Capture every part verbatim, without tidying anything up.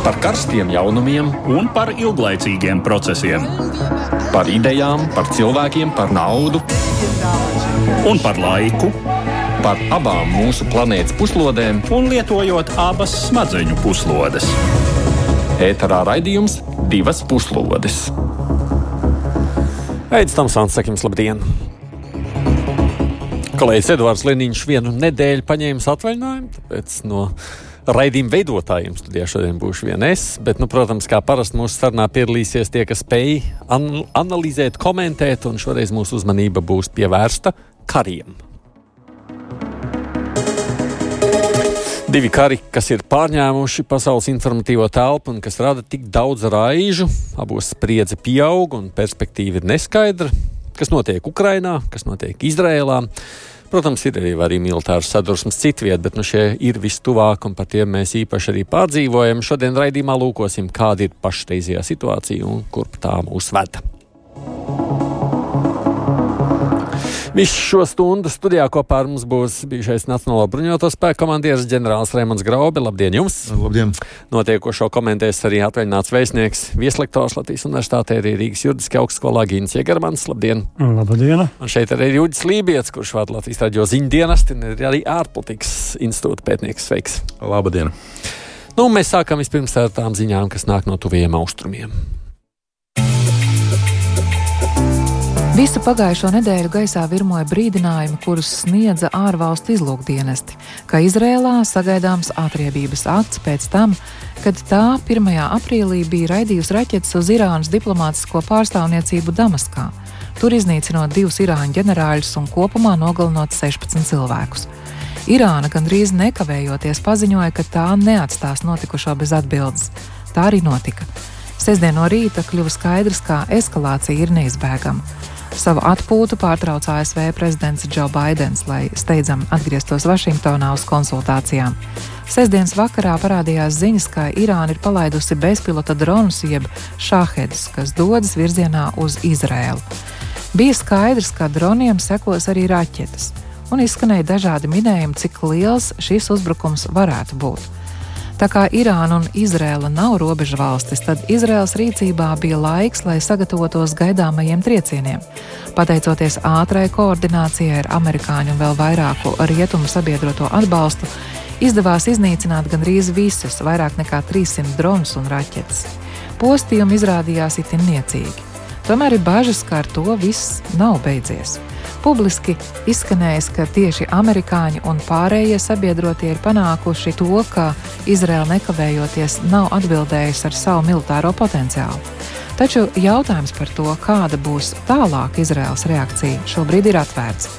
Par karstiem jaunumiem un par ilglaicīgiem procesiem. Par idejām, par cilvēkiem, par naudu un par laiku. Par abām mūsu planētas puslodēm un lietojot abas smadzeņu puslodes. Ēterā raidījums Divas puslodes. Eidis Tamsons, saka jums labdien! Kolēģis Edvards Liniņš vienu nedēļu paņēmis atvaļinājumu, tāpēc no raidījuma veidotājiem studijā šodien būšu vien es, bet, nu, protams, kā parasti mūsu sarunā piedalīsies tie, kas spēj an- analizēt, komentēt, un šoreiz mūsu uzmanība būs pievērsta kariem. Divi kari, kas ir pārņēmuši pasaules informatīvo telpu un kas rada tik daudz raižu, abos spriedze pieaug un perspektīva ir neskaidra. Kas notiek Ukrainā, kas notiek Izrēlā. Protams, ir arī, arī militāras sadursmes citviet, bet nu šie ir vistuvāk un par tiem mēs īpaši arī pārdzīvojam. Šodien raidījumā lūkosim, kāda ir pašreizējā situācija un kurp tā mūs veda. Visu šo stundu studijā kopā ar mums būs bijušais Nacionālo bruņoto spēku komandieris ģenerālis Raimonds Graube. Labdien jums! Labdien! Notiekošo komentēs arī atvaļināts vēstnieks, vieslektors Latvijas Universitātē, arī Rīgas juridiskajā augstskolā Gīns Iegermans. Labdien! Labdien! Un šeit arī Jūģis Lībijets, kurš vada Latvijas radio ziņdienestu, un ir arī ārpolitikas institūta pētnieks. Sveiks! Labdien! Nu, mēs sākam vispirms ar tām ziņām, kas nāk no tuvajiem austrumiem. Visu pagājušo nedēļu gaisā virmoja brīdinājumi, kurus sniedza ārvalstu izlūkdienesti, ka Izrēlā sagaidāms atriebības akts pēc tam, kad tā pirmajā aprīlī bija raidījusi raķetes uz Irānas diplomātisko pārstāvniecību Damaskā, tur iznīcinot divus Irāņu ģenerāļus un kopumā nogalinot sešpadsmit cilvēkus. Irāna gandrīz nekavējoties paziņoja, ka tā neatstās notikušo bez atbildes. Tā arī notika. Sestdien no rīta kļuva skaidrs, ka eskalācija ir neizbēgama. Savu atpūtu pārtrauc A S V prezidents Džo Baidens, lai steidzam atgrieztos Vašingtonā uz konsultācijām. Sestdienas vakarā parādījās ziņas, ka Irāna ir palaidusi bezpilota dronus jeb šāhedus, kas dodas virzienā uz Izrēlu. Bija skaidrs, ka droniem sekos arī raķetes, un izskanēja dažādi minējumi, cik liels šis uzbrukums varētu būt. Tā kā Irāna un Izrēla nav robežu valstis, tad Izrēlas rīcībā bija laiks, lai sagatavotos gaidāmajiem triecieniem. Pateicoties ātrai koordinācijai ar amerikāņu un vēl vairāku rietumu sabiedroto atbalstu, izdevās iznīcināt gandrīz visus, vairāk nekā trīssimt dronus un raķetes. Postījumi izrādījās itin niecīgi. Tomēr ir bažas, ka ar to viss nav beidzies. Publiski izskanējis, ka tieši amerikāņi un pārējie sabiedrotie ir panākuši to, ka Izraela nekavējoties nav atbildējusi ar savu militāro potenciālu. Taču jautājums par to, kāda būs tālāk Izraels reakcija, šobrīd ir atvērts.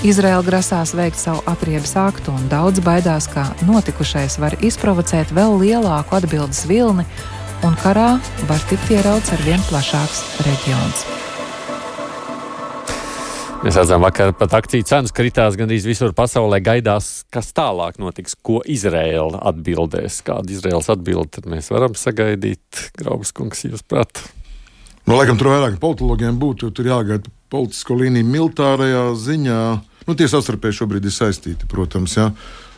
Izraela grasās veikt savu atriebes aktu un daudz baidās, ka notikušais var izprovocēt vēl lielāku atbildes vilni un karā var tikt ierauts ar vien plašāks reģions. Mēs redzam, vakar pat akciju cenas kritās gandrīz visur pasaulē, gaidās, kas tālāk notiks, ko Izraela atbildēs. Kāda Izraels atbilde tad mēs varam sagaidīt? Graubas kungs, jūs prāt? Nu, laikam tur vairāk politologiem būtu, tur jāgaida politisko līniju militārajā ziņā. Nu, tie savstarpēji šobrīd ir saistīti, protams, jā.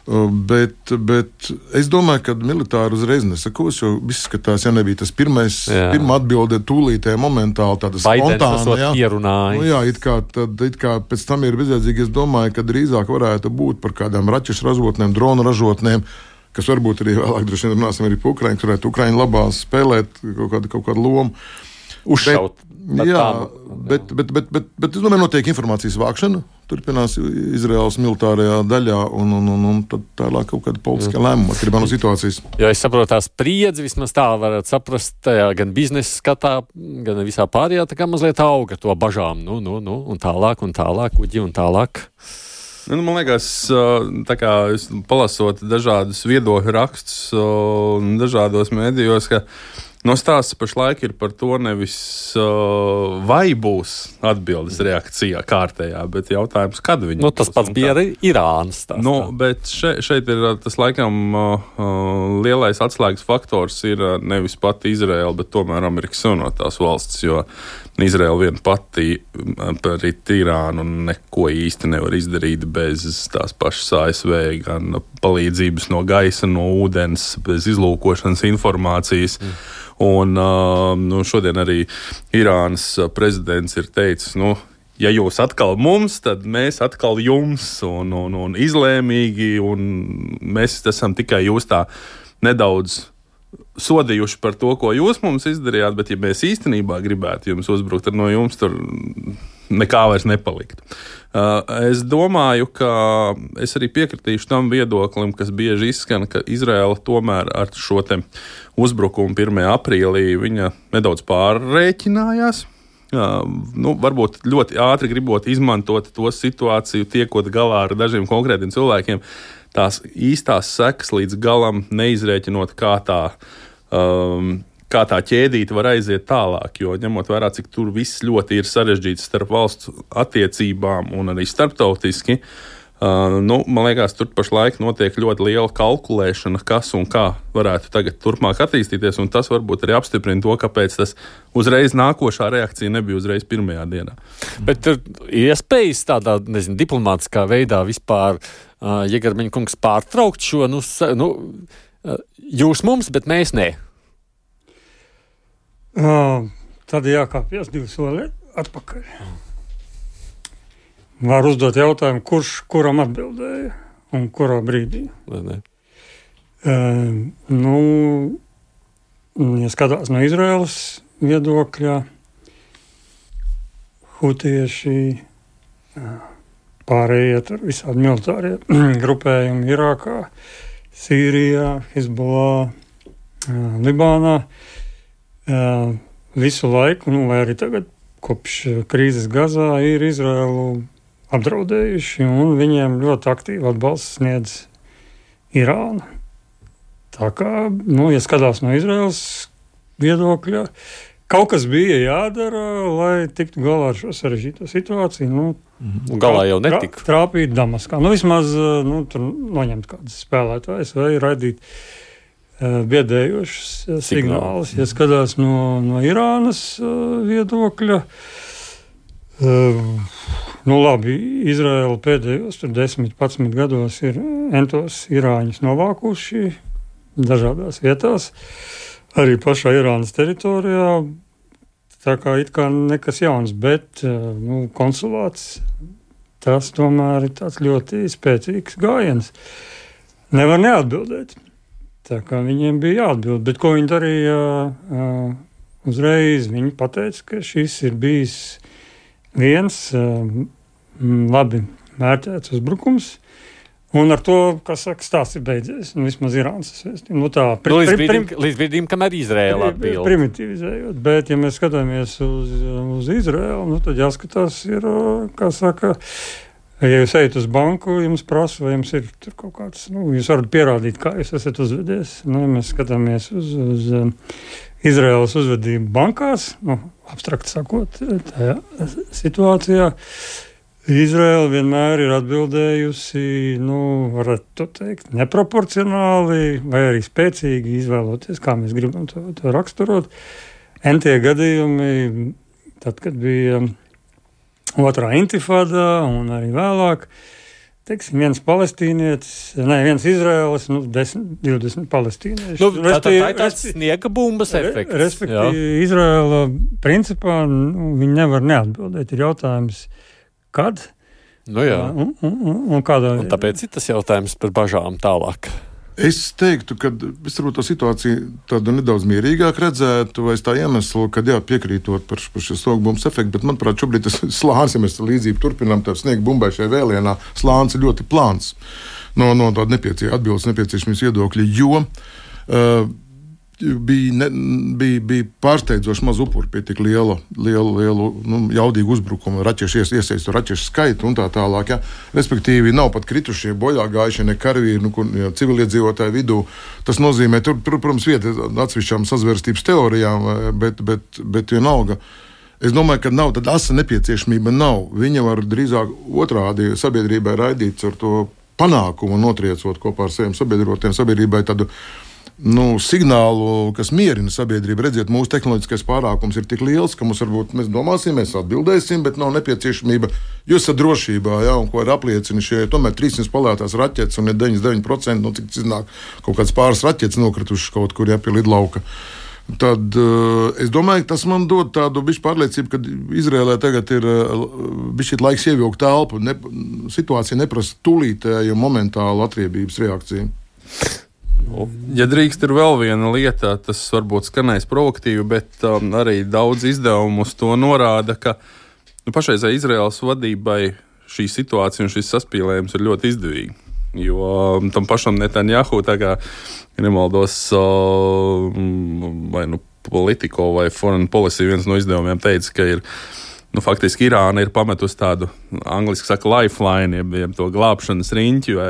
Bet, bet es domāju, ka militāri uzreiz nesakos, jo viss skatās, ja nebija tas pirmais, jā. Pirmā atbilde tūlītē, momentāli, tāda spontāna, jā. Pierunāja. Nu, jā, it kā, tad, it kā pēc tam ir bezjēdzīgi, es domāju, ka drīzāk varētu būt par kādām raķešu ražotnēm, dronu ražotnēm, kas varbūt arī vēlāk droši vien runāsim arī par Ukraiņu, kur varētu Ukraiņu labā spēlēt kaut kādu, kaut kādu lomu. Uzšaut. Bet, jā, bet, bet, bet, bet, bet es domāju, notiek informācijas vākšana, turpinās Izraels militārajā daļā, un, un, un, un tad tālāk kaut kāda politiskā lēmuma atkarībā no situācijas. Jo es saprotu, tā spriedzi vismaz tā varat saprast, tajā gan biznesa skatā, gan visā pārējā, tā kā mazliet auga to bažām, nu, nu, nu, un tālāk, un tālāk, uģi, un tālāk. Nu, man liekas, tā kā palasot dažādus viedokļu rakstus un dažādos mēdījos, ka No stāsts pašlaik ir par to nevis uh, vai būs atbildes reakcijā kārtējā, bet jautājums, kad viņi nu, tas pats bija arī Irānas stāstā. Nu, bet šeit, šeit ir tas laikam uh, lielais atslēgas faktors ir nevis pati Izraela, bet tomēr Amerikas Savienotās valstis, jo Izraela vien pati pret Irānu neko īsti nevar izdarīt bez tās pašas A S V, gan palīdzības no gaisa, no ūdens, bez izlūkošanas informācijas. Mm. Un uh, nu, šodien arī Irānas prezidents ir teicis, nu, ja jūs atkal mums, tad mēs atkal jums, un, un, un izlēmīgi, un mēs esam tikai jūs tā nedaudz sodījuši par to, ko jūs mums izdarījāt, bet ja mēs īstenībā gribētu jums uzbrukt, tad no jums tur nekā vairs nepalikt. Uh, es domāju, ka es arī piekritīšu tam viedoklim, kas bieži izskan, ka Izraela tomēr ar šo te uzbrukumu pirmajā aprīlī viņa nedaudz pārrēķinājās. Uh, nu, varbūt ļoti ātri gribot izmantot to situāciju, tiekot galā ar dažiem konkrētiem cilvēkiem, tās īstās sekas līdz galam neizrēķinot, kā tā, um, kā tā ķēdīte var aiziet tālāk, jo ņemot vērā, cik tur viss ļoti ir sarežģīts starp valstu attiecībām un arī starptautiski, uh, nu, man liekas, tur pašlaik notiek ļoti liela kalkulēšana, kas un kā varētu tagad turpmāk attīstīties, un tas varbūt arī apstiprina to, kāpēc tas uzreiz nākošā reakcija nebija uzreiz pirmajā dienā. Bet ir iespējas tādā, nezinu, diplomātiskā veidā vispār, uh, Jegarmeņa kungs, pārtraukt šo, nu, nu uh, jūs mums, bet mēs ne. Uh, tad jākāpjas divi soli atpakaļ. Var uzdot jautājumu, kurš kuram atbildēja un kurā brīdī. Ne, ne. Uh, nu, ja skatās no Izraēlas viedokļa, hutieši, pārējie tur visādi militārie grupējumi Irākā, Sīrijā, Hizbollah, Libānā. Uh, visu laiku, nu, vai arī tagad kopš krīzes Gazā ir Izraēlu apdraudējuši, un viņiem ļoti aktīvi atbalsts sniedz Irāna. Tā kā, nu, ja skatās no Izraēlas viedokļa, kaut kas bija jādara, lai tiktu galā ar šo sarežģīto situāciju. Nu, un galā jau netika. Trā, trāpīt Damaskā. Nu, vismaz, nu, tur noņemt kādas spēlētājas vai raidīt biedējošas signālus. Ja skatās no, no Irānas uh, viedokļa, uh, nu labi, Izraēla pēdējos tur desmit, padsmit gados ir entos irāņus novākuši dažādās vietās, arī pašā Irānas teritorijā, tā kā it kā nekas jauns, bet uh, nu, konsulāts, tas tomēr ir tāds ļoti spēcīgs gājiens. Nevar neatbildēt. Tā kā viņiem bija jāatbild, bet ko viņi darīja uh, uzreiz? Viņi pateica, ka šis ir bijis viens uh, labi mērķēts uzbrukums, un ar to, kas saka, stāsts ir beidzies. Nu, vismaz Irānas vēstījumu. Nu, tā, pri, nu, līdz, pri, brīdim, prim, līdz brīdim, kamēr Izraēla atbild. Primitivizējot, bet ja mēs skatāmies uz, uz Izraēlu, nu, tad jāskatās ir, kā saka, ja jūs ejat uz banku, jums prasa, vai jums ir tur kaut kāds, nu, jūs varat pierādīt, kā jūs esat uzvedies. Nu, ja mēs skatāmies uz, uz um, Izraēlas uzvedību bankās, nu, abstrakt sakot, tajā situācijā, Izraēla vienmēr ir atbildējusi, nu, varētu teikt, neproporcionāli vai arī spēcīgi izvēloties, kā mēs gribam to, to raksturot. Entie gadījumi, tad, kad bija otrā intifādā un arī vēlāk, teiksim, viens palestīnietis, ne, viens Izraēlas, nu, desmit, divdesmit palestīnieši. Nu, tā, tā, tā ir tāds sniega bumbas efekts. Respektīvi, Izraēla principā, nu, viņi nevar neatbildēt. Ir jautājums, kad? Nu jā. Un, un, un, un kādā? Un tāpēc ir tas jautājums par bažām tālāk. Es teiktu, ka es varbūt to situāciju tādu nedaudz mierīgāk redzētu, vai es tā iemeslu, ka jā, piekrītot par, par šo sniegbumbas efektu, bet manuprāt, šobrīd tas slānis, ja mēs līdzību turpinām, tā sniegbumbai šajā vēlienā, slānis ir ļoti plāns no, no tāda nepiecie, atbildes nepieciešamības viedokļa, jo uh, bija, ne, bija, bija pārsteidzoši maz upuri pie tik liela, liela, liela nu, jaudīga uzbrukuma, raķešu iesaistu raķešu skaitu un tā tālāk. Ja. Respektīvi, nav pat kritušie, bojā gājušie, ne karavīri, nu, ja, civiliedzīvotāju vidū. Tas nozīmē, tur, tur protams, vieta atsevišķām sazvērstības teorijām, bet, bet, bet vienalga. Es domāju, ka nav tāda asa nepieciešamība nav. Viņa var drīzāk otrādi sabiedrībai raidīt ar to panākumu, notriecot kopā ar saviem sabiedrotiem sabiedrībai tādu nu, signālu, kas mierina sabiedrību. Redziet, mūsu tehnoloģiskais pārākums ir tik liels, ka mums varbūt mēs domāsim, mēs atbildēsim, bet nav nepieciešamība. Jūs esat drošībā, ja, un ko ir apliecina šie tomēr trīssimt palētās raķetes un ir deviņdesmit deviņi procenti, nu, cik iznāk kaut kāds pāris raķetes nokritušas kaut kur, ja, pie lidlauka. Tad uh, es domāju, ka tas man dod tādu bišķi pārliecību, ka Izrēlē tagad ir uh, bišķi laiks ievilkt telpu. Ne, situācija neprasa tūlītēju momentālu atriebības reakciju. Ja drīkst, ir vēl viena lieta, tas varbūt skanēs provokatīvi, bet um, arī daudz izdevumu uz to norāda, ka nu, pašreizē Izraēlas vadībai šī situācija un šis saspīlējums ir ļoti izdevīgi. Jo um, tam pašam Netanjahu, tā kā nemaldos, uh, vai nu Politico vai Foreign Policy viens no izdevumiem teica, ka ir nu, faktiski Irāna ir pametusi tādu, angliski saka, lifeline, jeb, jeb to glābšanas riņķi vai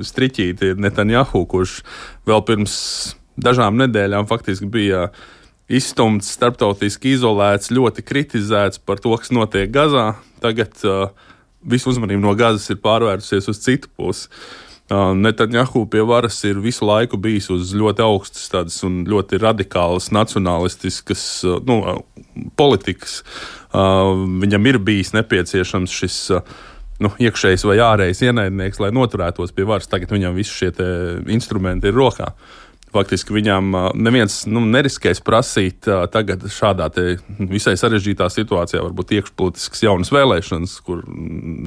striķīti Netanjahu, kurš vēl pirms dažām nedēļām faktiski bija izstumts, starptautiski izolēts, ļoti kritizēts par to, kas notiek Gazā. Tagad uh, visu uzmanību no Gazas ir pārvērsusies uz citu pusi. Uh, Netanjahu pie varas ir visu laiku bijis uz ļoti augstas tādas un ļoti radikālas nacionalistiskas uh, nu, politikas. Uh, viņam ir bijis nepieciešams šis uh, nu, iekšējs vai ārējs ienaidnieks, lai noturētos pie varas. Tagad viņam visi šie te instrumenti ir rokā. Faktiski viņam uh, neviens nu, neriskēs prasīt uh, tagad šādā te visai sarežģītā situācijā varbūt iekšpolitiskas jaunas vēlēšanas, kur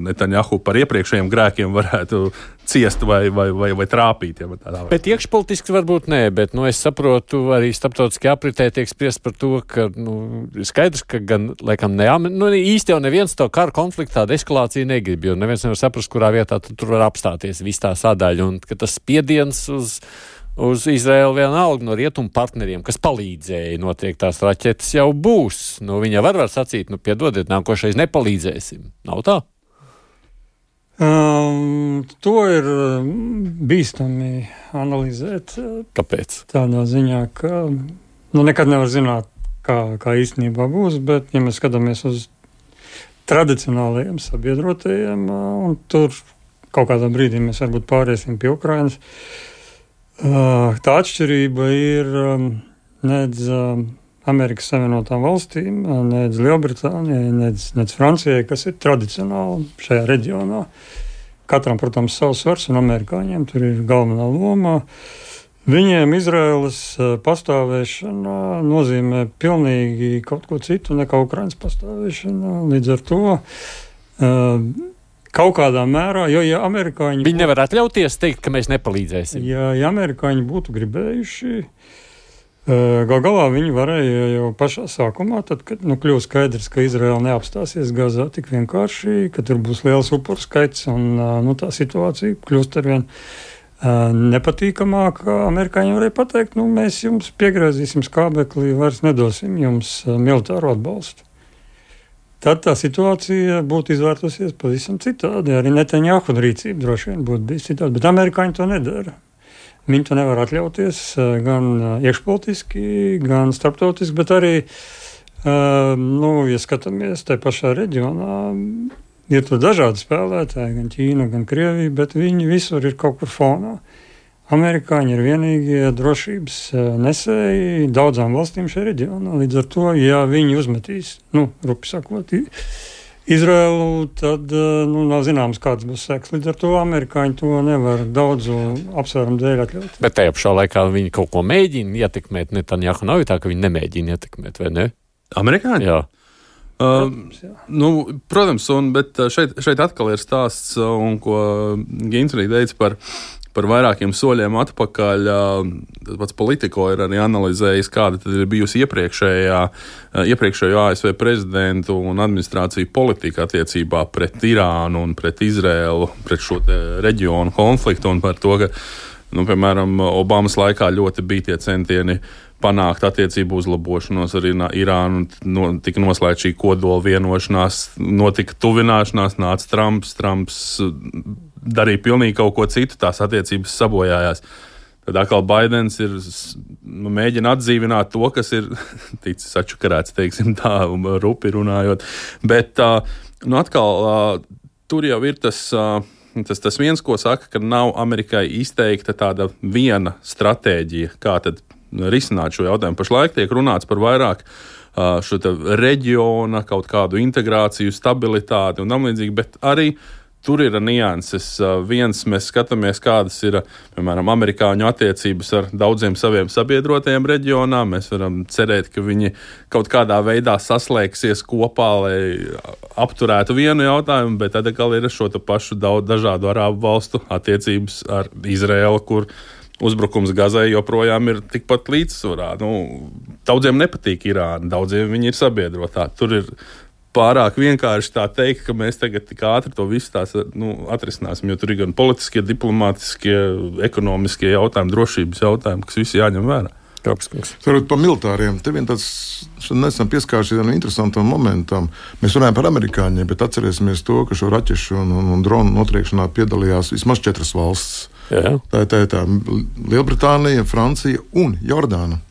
Netanjahu par iepriekšējiem grēkiem varētu ciest vai, vai, vai, vai trāpīt. Ja, tādā bet iekšpolitiski varbūt nē, bet nu, es saprotu, arī starptautiskajā apritē tiek spriest par to, ka nu, skaidrs, ka gan, laikam, ne, nu, īsti jau neviens to karu konfliktu tādu eskalāciju negrib, jo neviens nevar saprast, kurā vietā tur var apstāties viss tā sadaļa, un ka tas spiediens uz uz Izraēlu vienalga no rietumu partneriem, kas palīdzēja notiek tās raķetes, jau būs. Nu, viņa var var sacīt, nu, piedodiet, nākošais nepalīdzēsim. Nav tā? Um, to ir bīstami analizēt. Kāpēc? Tādā ziņā, ka nu, nekad nevar zināt, kā, kā īstenībā būs, bet ja mēs skatāmies uz tradicionālajiem sabiedrotajiem, un tur kaut kādā brīdī mēs varbūt pāriesim pie Ukrainas, tā atšķirība ir nedz Amerikas Savienotām valstīm, nedz Lielbritānijai, nedz, nedz Francijai, kas ir tradicionāli šajā reģionā. Katram, protams, savs svars, un amerikāņiem tur ir galvenā loma. Viņiem Izraēlas pastāvēšana nozīmē pilnīgi kaut ko citu nekā Ukrainas pastāvēšana. Līdz ar to kaut kādā mērā, jo ja amerikāņi... Viņi nevar atļauties teikt, ka mēs nepalīdzēsim. Ja, ja amerikāņi būtu gribējuši, gal galā viņi varēja jau pašā sākumā, tad, kad nu, kļūst skaidrs, ka Izraēla neapstāsies Gazā tik vienkārši, ka tur būs liels upuru skaits un nu, tā situācija kļūst arvien nepatīkamāka. Amerikāņi varēja pateikt, nu mēs jums piegriezīsim skābeklī, vairs nedosim jums militāru atbalstu. Tad tā situācija būtu izvērtusies pavisam citādi. Arī Netanjahu rīcība droši vien būtu bijis citādi, bet amerikāņi to nedara. Viņi to nevar atļauties gan iekšpolitiski, gan starptautiski, bet arī, nu, ja skatāmies tajā pašā reģionā, ir tur dažādi spēlētāji, gan Ķīna, gan Krievija, bet viņi visur ir kaut kur fonā. Amerikāņi ir vienīgie drošības nesēji daudzām valstīm šajā reģionā. Līdz ar to, ja viņi uzmetīs, nu, rupi sakot, Izraēlu, tad nu, nav zināms, kāds būs seks. Līdz ar to amerikāņi to nevar daudzu apsvērumu dēļ atļaut. Bet tajā pašā laikā viņi kaut ko mēģina ietekmēt. Netanjahu nav tā, ka viņi nemēģina ietekmēt, vai ne? Amerikāņi? Jā. Protams, jā. Uh, nu, protams, un, bet šeit, šeit atkal ir stāsts, un ko Gins arī teica par Par vairākiem soļiem atpakaļ. Pats Politico ir arī analizējis, kāda tad ir bijusi iepriekšējā, iepriekšējo A S V prezidentu un administrāciju politika attiecībā pret Irānu un pret Izraēlu, pret šo reģionu konfliktu un par to, ka Nu, piemēram, Obamas laikā ļoti bija tie centieni panākt attiecību uzlabošanos ar Irānu, no, tika noslēgta šī kodola vienošanās, notika tuvināšanās, nāca Trumps, Trumps darīja pilnīgi kaut ko citu, tās attiecības sabojājās. Tad atkal Baidens ir nu, mēģina atdzīvināt to, kas ir ticis atšukarēts, teiksim tā, rupi runājot. Bet nu, atkal tur jau ir tas, tas, tas viens, ko saka, ka nav Amerikai izteikta tāda viena stratēģija, kā tad risināt šo jautājumu. Pašlaik tiek runāts par vairāk šo reģiona, kaut kādu integrāciju, stabilitāti un tam līdzīgi, bet arī tur ir nianses. Viens, mēs skatāmies, kādas ir, piemēram, amerikāņu attiecības ar daudziem saviem sabiedrotajiem reģionā. Mēs varam cerēt, ka viņi kaut kādā veidā saslēgsies kopā, lai apturētu vienu jautājumu, bet tad atkal ir šo pašu daudz dažādu arābu valstu attiecības ar Izraēlu, kur uzbrukums Gazai joprojām ir tikpat līdzsvarā. Nu, daudziem nepatīk Irāna, daudziem viņi ir sabiedrotā. Tur ir pārāk vienkārši tā teikt, ka mēs tagad tik ātri to visu tās, nu, atrisināsim, jo tur ir gan politiskie, diplomātiskie, ekonomiskie jautājumi, drošības jautājumi, kas visi jāņem vērā. Sarot par militāriem, te vien tāds, nesam pieskāršies vienam interesantam momentam. Mēs runājam par amerikāņiem, bet atcerēsimies to, ka šo raķešu un, un, un dronu notriekšanā piedalījās vismaz četras valsts. Jā. Tā ir tā, tā Lielbritānija, Francija un Jordāna.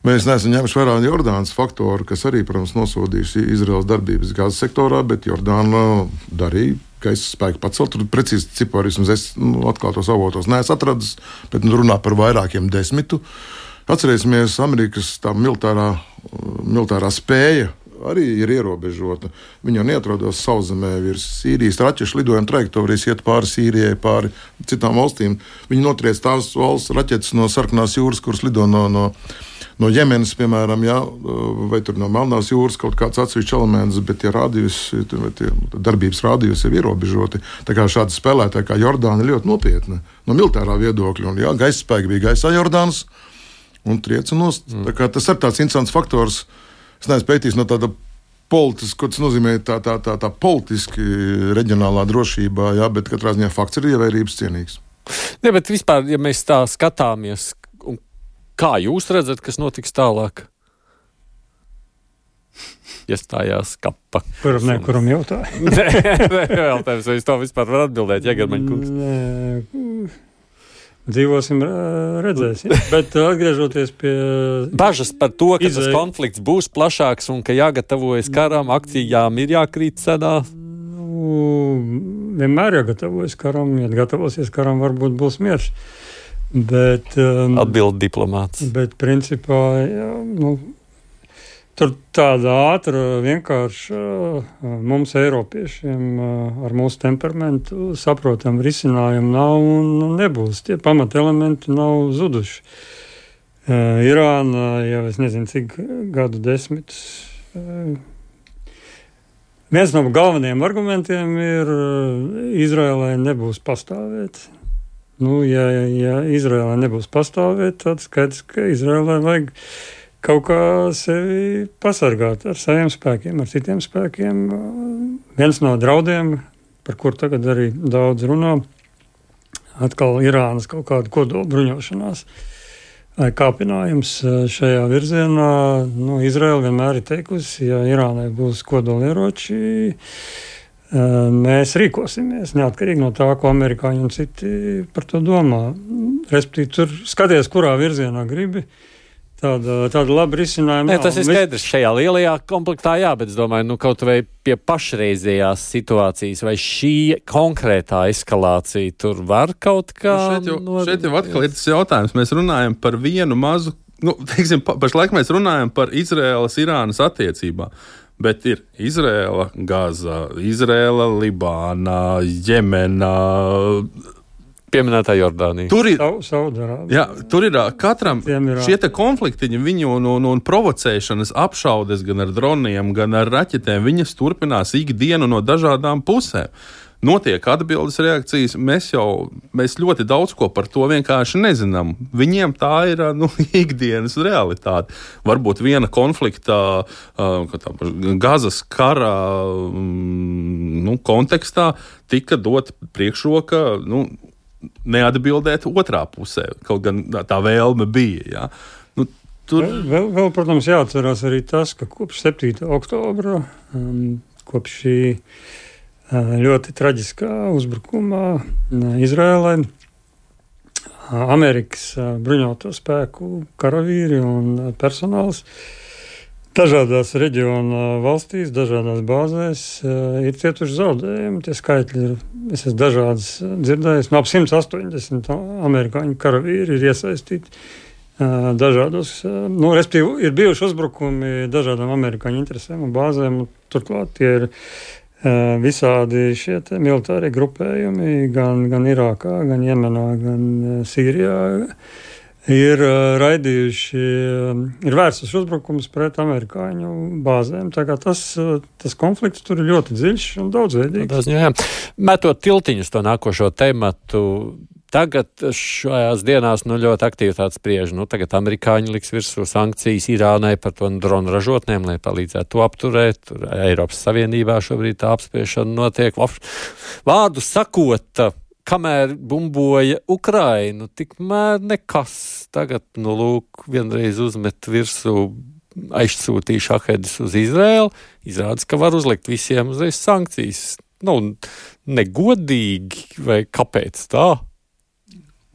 Mēs neesam ņēmuši vērā Jordānas faktoru, kas arī, protams, nosodījusi Izraēlas darbības gāzes sektorā, bet Jordāna darīja gaisa spēku pacelt. Tur precīzi cipari, vismaz es nu, atklātos avotos neesmu atradis, bet nu, runā par vairākiem desmitu. Atcerēsimies, Amerikas tā militārā, militārā spēja arī ir ierobežota. Viņa jau neatrodas sauszemē virs Sīrijas raķešu lidojuma trajektorijas, iet pāri Sīrijai, pāri citām valstīm. Viņi notriec tās valsts raķetes no Sarkanās jūras, kuras lido no, no, no Jemenas, piemēram, jā, vai tur no Melnās jūras kaut kāds atsevišķs elements, bet tie rādījus, tie darbības rādījus ir ierobežoti. Tā kā šādi spēlētāji kā Jordāna ir ļoti nopietna no militārā viedokļa. Un, jā, gaisa spēki bija gaisā Jordānas un trieca nost. Mm. Tā kā tas ir tāds interesants faktors. Es neesmu pētījis no tāda politiski, ko tas nozīmē tā, tā, tā, tā politiski reģionālā drošībā, jā, bet katrā ziņā fakts ir ievērības cienīgs. Jā, bet vispār, ja mēs tā skatāmies, kā jūs redzat, kas notiks tālāk? Iestājās kapa. Kuram ne, kuram jautāja? Nē, jautājums, vai es to vispār varu atbildēt, Jegermaņa kungs? Nē. Dzīvosim, redzēsim. Bet atgriežoties pie bažas par to, ka izēja... tas konflikts būs plašāks un ka jāgatavojas karam, akcijām ir jākrīt cedā? Nu, vienmēr jāgatavojas karam, ja gatavosies karam, varbūt būs miers. Bet, um, atbild diplomāts. Bet principā, jā, nu, tur tāda ātra, vienkārši mums, Eiropiešiem, ar mūsu temperamentu saprotam risinājumu nav un nebūs. Tie pamatelementi nav zuduši. Irāna, jau es nezinu, cik gadu desmitus. Viens no galvenajiem argumentiem ir, Izraēlai nebūs pastāvēt. Nu, ja, ja Izraēlai nebūs pastāvēt, tad skaidrs, ka Izraēlai vajag kaut kā sevi pasargāt ar saviem spēkiem, ar citiem spēkiem. Viens no draudiem, par kur tagad arī daudz runā, atkal Irānas kaut kāda kodola bruņošanās vai kāpinājums šajā virzienā. Nu, Izraela vienmēr ir teikusi, ja Irānai būs kodolieroči, mēs rīkosimies, neatkarīgi no tā, ko amerikāņi un citi par to domā. Respektīvi, tur skaties, kurā virzienā gribi. Tāda, tāda laba risinājuma. Nē, tas ir skaidrs šajā lielajā komplektā, jā, bet es domāju, nu kaut vai pie pašreizējās situācijas vai šī konkrētā eskalācija tur var kaut kā... Nu šeit, jau, no... šeit jau atkal ir tas jautājums. Mēs runājam par vienu mazu, nu, teiksim, pašlaik mēs runājam par Izraēlas-Irānas attiecībām, bet ir Izraēla, Gaza, Izraēla, Libāna, Jemena... Pieminētā Jordānija. Tur ir, jā, tur ir katram šie te konfliktiņi, viņu un, un, un provocēšanas apšaudes gan ar droniem, gan ar raķetēm, viņas turpinās ikdienu no dažādām pusēm. Notiek atbildes reakcijas, mēs jau, mēs ļoti daudz ko par to vienkārši nezinām. Viņiem tā ir, nu, ikdienas realitāte. Varbūt viena konflikta, tā, Gazas kara, nu, kontekstā tika dot priekšroka, nu, neatbildēt otrā pusē, kaut gan tā vēlme bija. Ja. Nu, tur... vēl, vēl, vēl, protams, jāatcerās arī tas, ka kopš septītā oktobra, um, kopš šī uh, ļoti traģiskā uzbrukumā uh, Izrēlai, uh, Amerikas uh, bruņoto spēku karavīri un uh, personāls dažādās reģiona valstīs, dažādās bāzēs uh, ir cietuši zaudējumi. Tie skaitļi ir, es esmu dažādas dzirdējis, no ap simt astoņdesmit amerikāņu karavīri ir iesaistīti uh, dažādos, uh, nu, respektīvi, ir bijuši uzbrukumi dažādām amerikāņu interesēm un bāzēm, un turklāt tie ir uh, visādi šie te militārie grupējumi, gan, gan Irākā, gan Jemenā, gan uh, Sīrijā, ir uh, raidījuši, uh, ir vērsus uzbrukums pret amerikāņu bāzēm. Tā kā tas, uh, tas konflikts tur ir ļoti dziļš un daudzveidīgs. Jā. Metot tiltiņus to nākošo tematu, tagad šajās dienās nu, ļoti aktīvi tāds spriež. Nu, tagad amerikāņi liks virsū sankcijas Irānai par to dronu ražotnēm, lai palīdzētu to apturēt. Tur Eiropas Savienībā šobrīd tā apspriešana notiek. Vārdu sakot, kamēr bumboja Ukrainu, tikmēr nekas. Tagad, nu, lūk, vienreiz uzmet virsū, aizsūtīja šahedus uz Izraēlu. Izrādās, ka var uzlikt visiem uzreiz sankcijas. Nu, negodīgi, vai kāpēc tā?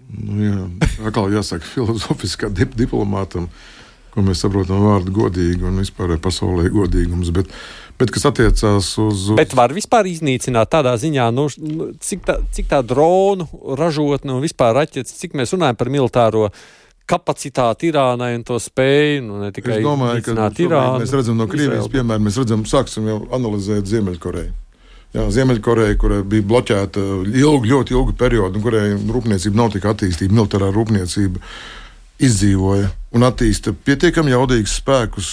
Nu, jā, atkal jāsaka filozofiskā dip- diplomātam, ko mēs saprotam vārdu godīgi un vispār pasaulē godīgums, bet Bet, kas attiecās uz... Bet var vispār iznīcināt tādā ziņā, nu, cik, tā, cik tā dronu ražotne un vispār raķetes, cik mēs runājam par militāro kapacitāti Irānai un to spēju, nu, ne tikai iznīcināt Irānu. Mēs redzam no Krievijas, piemēram, mēs redzam, sāksim jau analizēt Ziemeļkoreju. Jā, Ziemeļkoreja, kurai bija bloķēta ilgu, ļoti ilgu periodu, un kurai rūpniecība nav tik attīstīta, militārā rūpniecība izdzīvoja un attīsta pietiekami jaudīgus spēkus,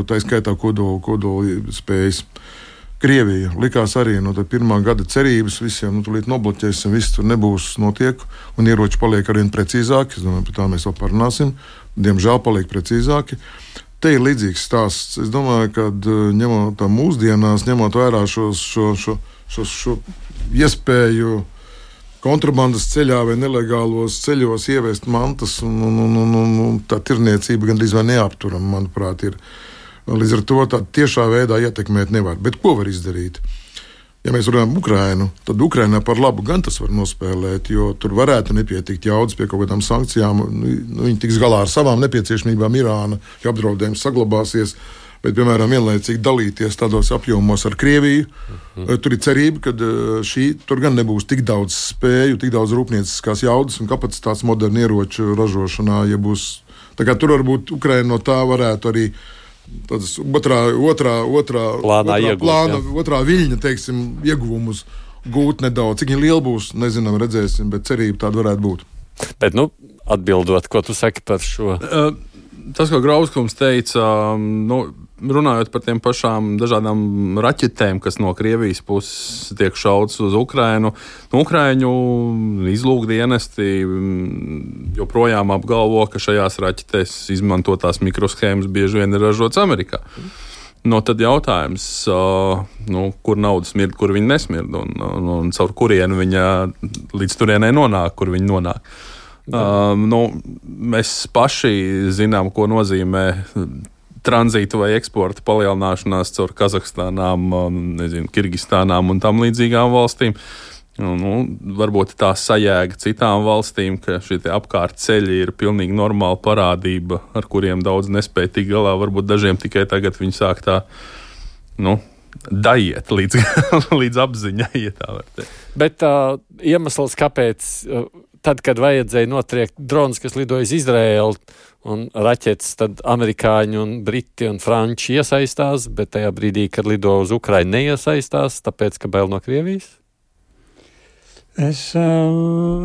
tā skaitā kodolu, kodolu spējas. Krievija likās arī no tā pirmā gada cerības visiem, nu, tūlīt nobloķēsim, viss tur nebūs notiek, un ieroči paliek arvien precīzāki, es domāju, par tā mēs vēl parunāsim, diemžēl paliek precīzāki. Te ir līdzīgs stāsts. Es domāju, ka ņemot tā mūsdienās, ņemot vērā šo, šo, šo, šo, šo iespēju kontrabandas ceļā vai nelegālos ceļos ievest mantas, un, un, un, un, un tā tirniecība gandrīz vai neapturama, manuprāt, ir. Līdz ar to tā tiešā veidā ietekmēt nevar. Bet ko var izdarīt? Ja mēs runājam Ukrainu, tad Ukrainā par labu gan tas var nospēlēt, jo tur varētu nepietikt jaudas pie kaut kādām sankcijām. Nu, viņi tiks galā ar savām nepieciešamībām Irāna, ja apdraudējums saglabāsies. Bet, piemēram, vienlaicīgi dalīties tādos apjomos ar Krieviju. Uh-huh. Tur ir cerība, ka šī, tur gan nebūs tik daudz spēju, tik daudz rūpnieciskās jaudas un kapacitātes modernu ieroču ražošanā. Ja būs, tā kā tur varbūt Ukraina no tā varētu arī tādas otrā, otrā, otrā, plānā otrā, iegūt, plāna, otrā viļņa, teiksim, ieguvumus gūt nedaudz. Cik viņi lieli būs, nezinām, redzēsim, bet cerība tāda varētu būt. Bet, nu, atbildot, ko tu saki par šo? Uh, tas, ko Grauskums teica, nu, runājot par tiem pašām dažādām raķetēm, kas no Krievijas puses tiek šauts uz Ukrainu, nu, Ukraiņu izlūkdienesti joprojām apgalvo, ka šajās raķetēs izmantotās mikroshēmas bieži vien ir ražotas Amerikā. No tad jautājums, uh, nu, kur nauda smird, kur viņa nesmird, un, un, un caur kurienu viņa līdz turienai nonāk, kur viņa nonāk. Uh, nu, mēs paši zinām, ko nozīmē tranzīta vai eksporta palielināšanās caur Kazahstānām, nezinu, Kirgistānām un tam līdzīgām valstīm. Nu, varbūt tā sajēga citām valstīm, ka šie apkārt ceļi ir pilnīgi normāla parādība, ar kuriem daudz nespēja tikt galā. Varbūt dažiem tikai tagad viņi sāk tā, nu, daiet līdz, līdz apziņai, ja tā var teikt. Bet uh, iemesls, kāpēc uh, tad, kad vajadzēja notriekt drons, kas lidoja iz Izraēlu un raķetes, tad amerikāņi un briti un franči iesaistās, bet tajā brīdī, kad lido uz Ukrainu, neiesaistās, tāpēc, ka bail no Krievijas? Es uh,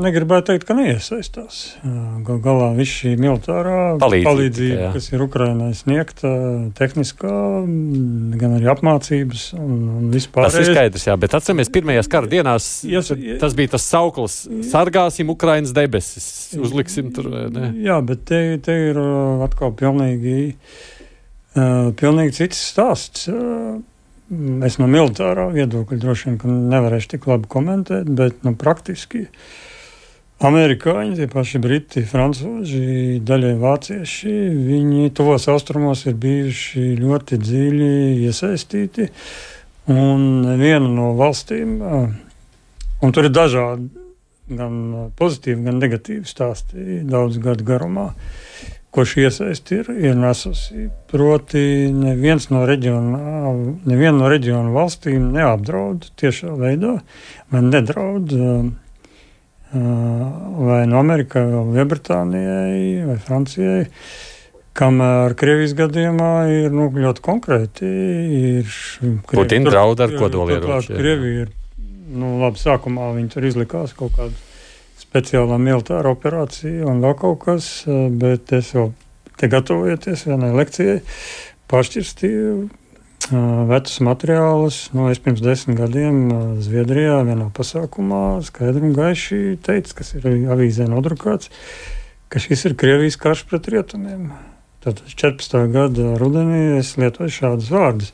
negribētu teikt, ka neiesaistās. Uh, gal galā viss šī militārā palīdzība, palīdzība kas ir Ukrainai sniegta, tehniskā, gan arī apmācības un, un vispār. Tas ir skaidrs, jā, bet atceramies pirmajās kara dienās, Jas, tas bija tas sauklis, sargāsim Ukrainas debesis, uzliksim tur, ne? Jā, bet te, te ir atkal pilnīgi, uh, pilnīgi cits stāsts. Uh, Es no militārā viedokļa droši vien nevarēšu tik labi komentēt, bet nu, praktiski Amerikāņi, tie paši briti, francūži, daļai vācieši, viņi tuvos austrumos ir bijuši ļoti dziļi iesaistīti. Un viena no valstīm, un tur ir dažādi, gan pozitīvi, gan negatīvi stāsti daudz gadu garumā, ko šī iesaisti ir, ir nesusi. Proti, neviens no reģiona, neviena no reģiona valstīm neapdraud tiešā veidā, vai nedraud vai no Amerikai, vai Lielbritānijai, vai Francijai, kamēr Krievijas gadījumā ir nu, ļoti konkrēti. Putina draud ar kodolieročiem. Krievija ir, nu labi, sākumā viņi tur izlikās kaut kādu speciālā militāra operācija un vēl kaut kas, bet es jau te gatavojoties vienai lekcijai pašķirstīju vecus materiālus. Nu, es pirms desmit gadiem Zviedrijā vienā pasākumā skaidri un gaiši teicu, kas ir avīzē nodrukāts, ka šis ir Krievijas karš pret rietumiem. Tātad četrpadsmitā gada rudenī es lietoju šādus vārdus,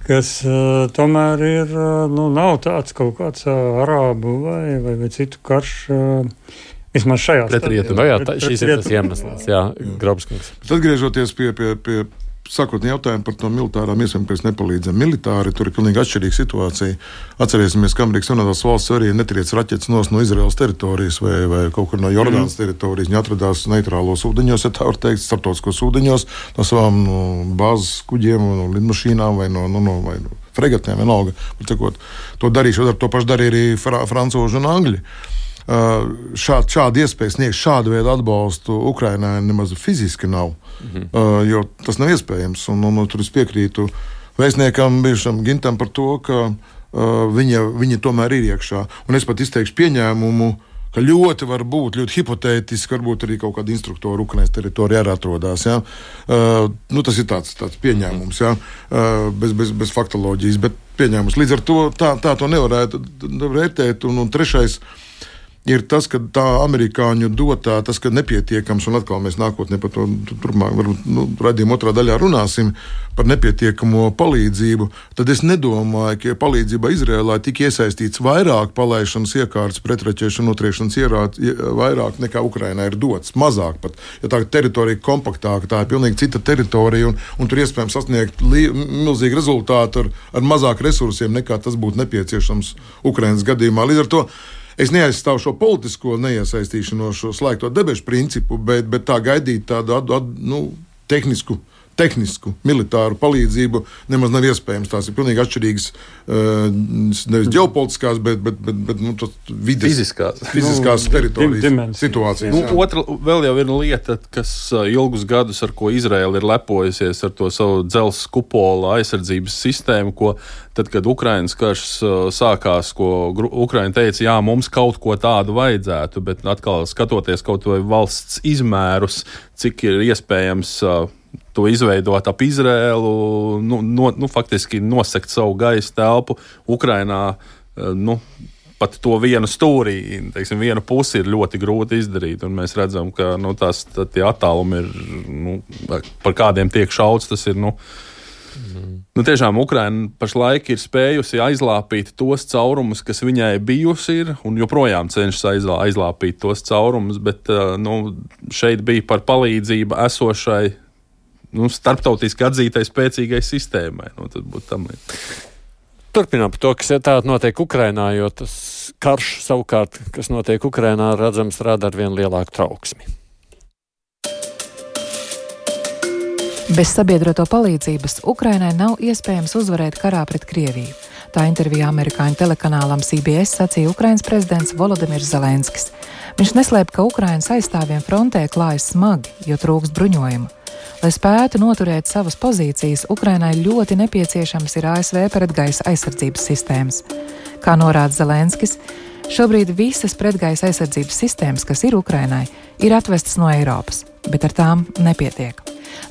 kas uh, tomēr ir, uh, nu, nav tāds kaut kāds uh, arābu vai, vai, vai citu karš, uh, vismaz šajā pret rietumiem. Jā, tā, šis ir tas iemesls, jā, Grobskungs. Atgriežoties pie, pie, pie sākotnēji jautājumu par to militārām iespējām, ka mēs nepalīdzam. Militāri tur ir pilnīgi atšķirīga situācija. Atcerēsimies, ka Amerikas Savienotās valsts arī netriec raķetes nos no Izraēlas teritorijas vai, vai kaut kur no Jordānas mm. teritorijas. Viņi atradās neitrālos ūdeņos, ja tā var teikt, starptautiskos ūdeņos, no savām no bāzes kuģiem, no lidmašīnām vai no, no, no, vai no fregatēm, vienalga. To darīšu, to pašu darīja arī fra, francūži un angļi. Uh, šād, šāda iespēja sniegt šādu veidu atbalstu Ukrainai nemaz fiziski nav, mm-hmm. uh, jo tas nav iespējams. Un, un, un tur es piekrītu vēstniekam bijušam Gintam par to, ka uh, viņa, viņa tomēr ir iekšā. Un es pat izteikšu pieņēmumu, ka ļoti var būt, ļoti hipotētiski, varbūt arī kaut kāda instruktora Ukrainas teritorijā arī atrodas. Ja? Uh, nu, tas ir tāds, tāds pieņēmums, ja? uh, bez, bez, bez faktoloģijas, bet pieņēmums. Līdz ar to tā, tā to nevarētu vērtēt. Un, un trešais ir tas, ka tā amerikāņu dotā, tas, ka nepietiekams, un atkal mēs nākotnē par to turpmāk, varbūt, nu, raidījuma otrā daļā runāsim par nepietiekamo palīdzību, tad es nedomāju, ka palīdzība Izrēlā tika iesaistīts vairāk palaišanas iekārtas, pretraķēšu un notriekšanas ierāt, vairāk nekā Ukrainā ir dots, mazāk pat. Ja tā teritorija kompaktāka, tā ir pilnīgi cita teritorija, un, un tur iespējams sasniegt li, milzīgi rezultātu ar, ar mazāk resursiem, nekā tas būtu nepieciešams Ukrainas gadījumā. Līdz ar to es neaizstāvu šo politisko neiesaistīšanos, šo slēgto debešu principu, bet, bet tā gaidīt tādu ad, ad, nu, tehnisku, tehnisku, militāru palīdzību nemaz nav iespējams. Tās ir pilnīgi atšķirīgas, nevis ģeopolitiskās, bet, bet, bet, bet nu, vides, fiziskās, fiziskās nu, teritorijas situācijas. Nu, otra vēl jau ir lieta, kas ilgus gadus, ar ko Izraela ir lepojusies, ar to savu dzelzs kupola aizsardzības sistēmu, ko tad, kad Ukrainas karš sākās, ko Ukraina teica, jā, mums kaut ko tādu vajadzētu, bet atkal skatoties kaut vai valsts izmērus, cik ir iespējams to izveidot ap Izrēlu, nu, no, nu, faktiski nosegt savu gaisa telpu Ukrainā, nu, pat to vienu stūrī, teiksim, vienu pusi ir ļoti grūti izdarīt, un mēs redzam, ka, nu, tās, tie attālumi ir, nu, par kādiem tiek šauts, tas ir, nu, mm. nu, tiešām Ukraina pašlaik ir spējusi aizlāpīt tos caurumus, kas viņai bijusi ir, un joprojām cenšas aizlā, aizlāpīt tos caurumus, bet, nu, šeit bija par palīdzību esošai, nu, starptautiski atzītai spēcīgai sistēmai. Nu, tad būtu tam līdz. Turpinām par to, kas tātad notiek Ukrainā, jo tas karš savukārt, kas notiek Ukrainā, redzams, rada ar vien lielāku trauksmi. Bez sabiedroto palīdzības Ukrainai nav iespējams uzvarēt karā pret Krieviju. Tā intervijā amerikāņu telekanālam C B S sacīja Ukrainas prezidents Volodimirs Zelenskis. Viņš neslēp, ka Ukrainas aizstāvjiem frontē klājas smagi, jo trūkst bruņojumu. Lai spētu noturēt savas pozīcijas, Ukrainai ļoti nepieciešams ir A S V pretgaisa aizsardzības sistēmas. Kā norāda Zelenskis, šobrīd visas pretgaisa aizsardzības sistēmas, kas ir Ukrainai, ir atvestas no Eiropas, bet ar tām nepietiek.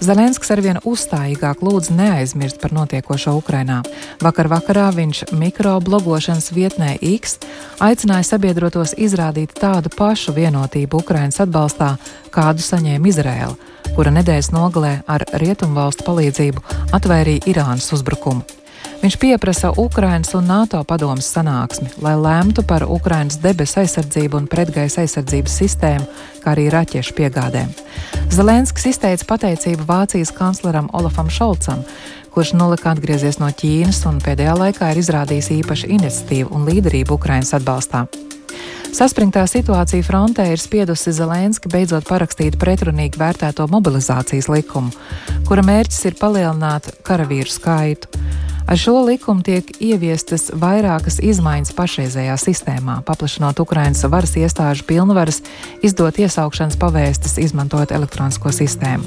Zelenskis arvien uzstājīgāk lūdz neaizmirst par notiekošo Ukrainā. Vakar vakarā viņš mikroblogošanas vietnē X aicināja sabiedrotos izrādīt tādu pašu vienotību Ukrainas atbalstā, kādu saņēma Izraēla, kura nedēļas nogalē ar rietumvalstu palīdzību atvairīja Irānas uzbrukumu. Viņš pieprasa Ukrainas un NATO padomes sanāksmi, lai lemtu par Ukrainas debesu aizsardzību un pretgaisa aizsardzības sistēmu, kā arī raķešu piegādēm. Zelenskis izteica pateicību Vācijas kancleram Olafam Šolcam, kurš nolika atgriezies no Ķīnas un pēdējā laikā ir izrādījis īpašu iniciatīvu un līderību Ukrainas atbalstā. Saspringtā situācija frontē ir spiedusi Zelenski beidzot parakstīt pretrunīgi vērtēto mobilizācijas likumu, kura mērķis ir palielināt karavīru skaitu. Ar šo likumu tiek ieviestas vairākas izmaiņas pašreizējā sistēmā, paplašinot Ukrainas varas iestāžu pilnvaras izdot iesaukšanas pavēstes, izmantojot elektronisko sistēmu.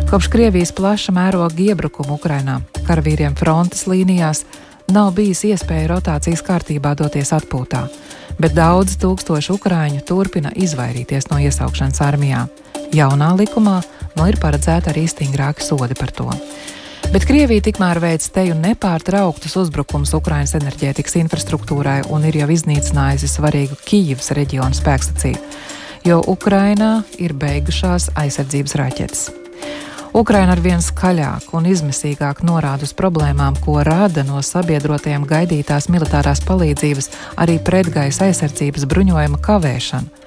Kopš Krievijas plaša mēroga iebrukuma Ukrainā karavīriem frontes līnijās nav bijis iespēja rotācijas kārtībā doties atpūtā, bet daudz tūkstoši ukraiņu turpina izvairīties no iesaukšanas armijā. Jaunā likumā nu ir paredzēta arī stingrāki sodi par to. Bet Krievija tikmēr veic teju nepārtrauktus uzbrukums Ukrainas enerģētikas infrastruktūrai un ir jau iznīcinājusi svarīgu Kijivas reģionu spēkstaciju, jo Ukrainā ir beigušās aizsardzības raķetes. Ukraina arvien skaļāk un izmisīgāk norāda uz problēmām, ko rada no sabiedrotajiem gaidītās militārās palīdzības arī pretgaisa aizsardzības bruņojuma kavēšana.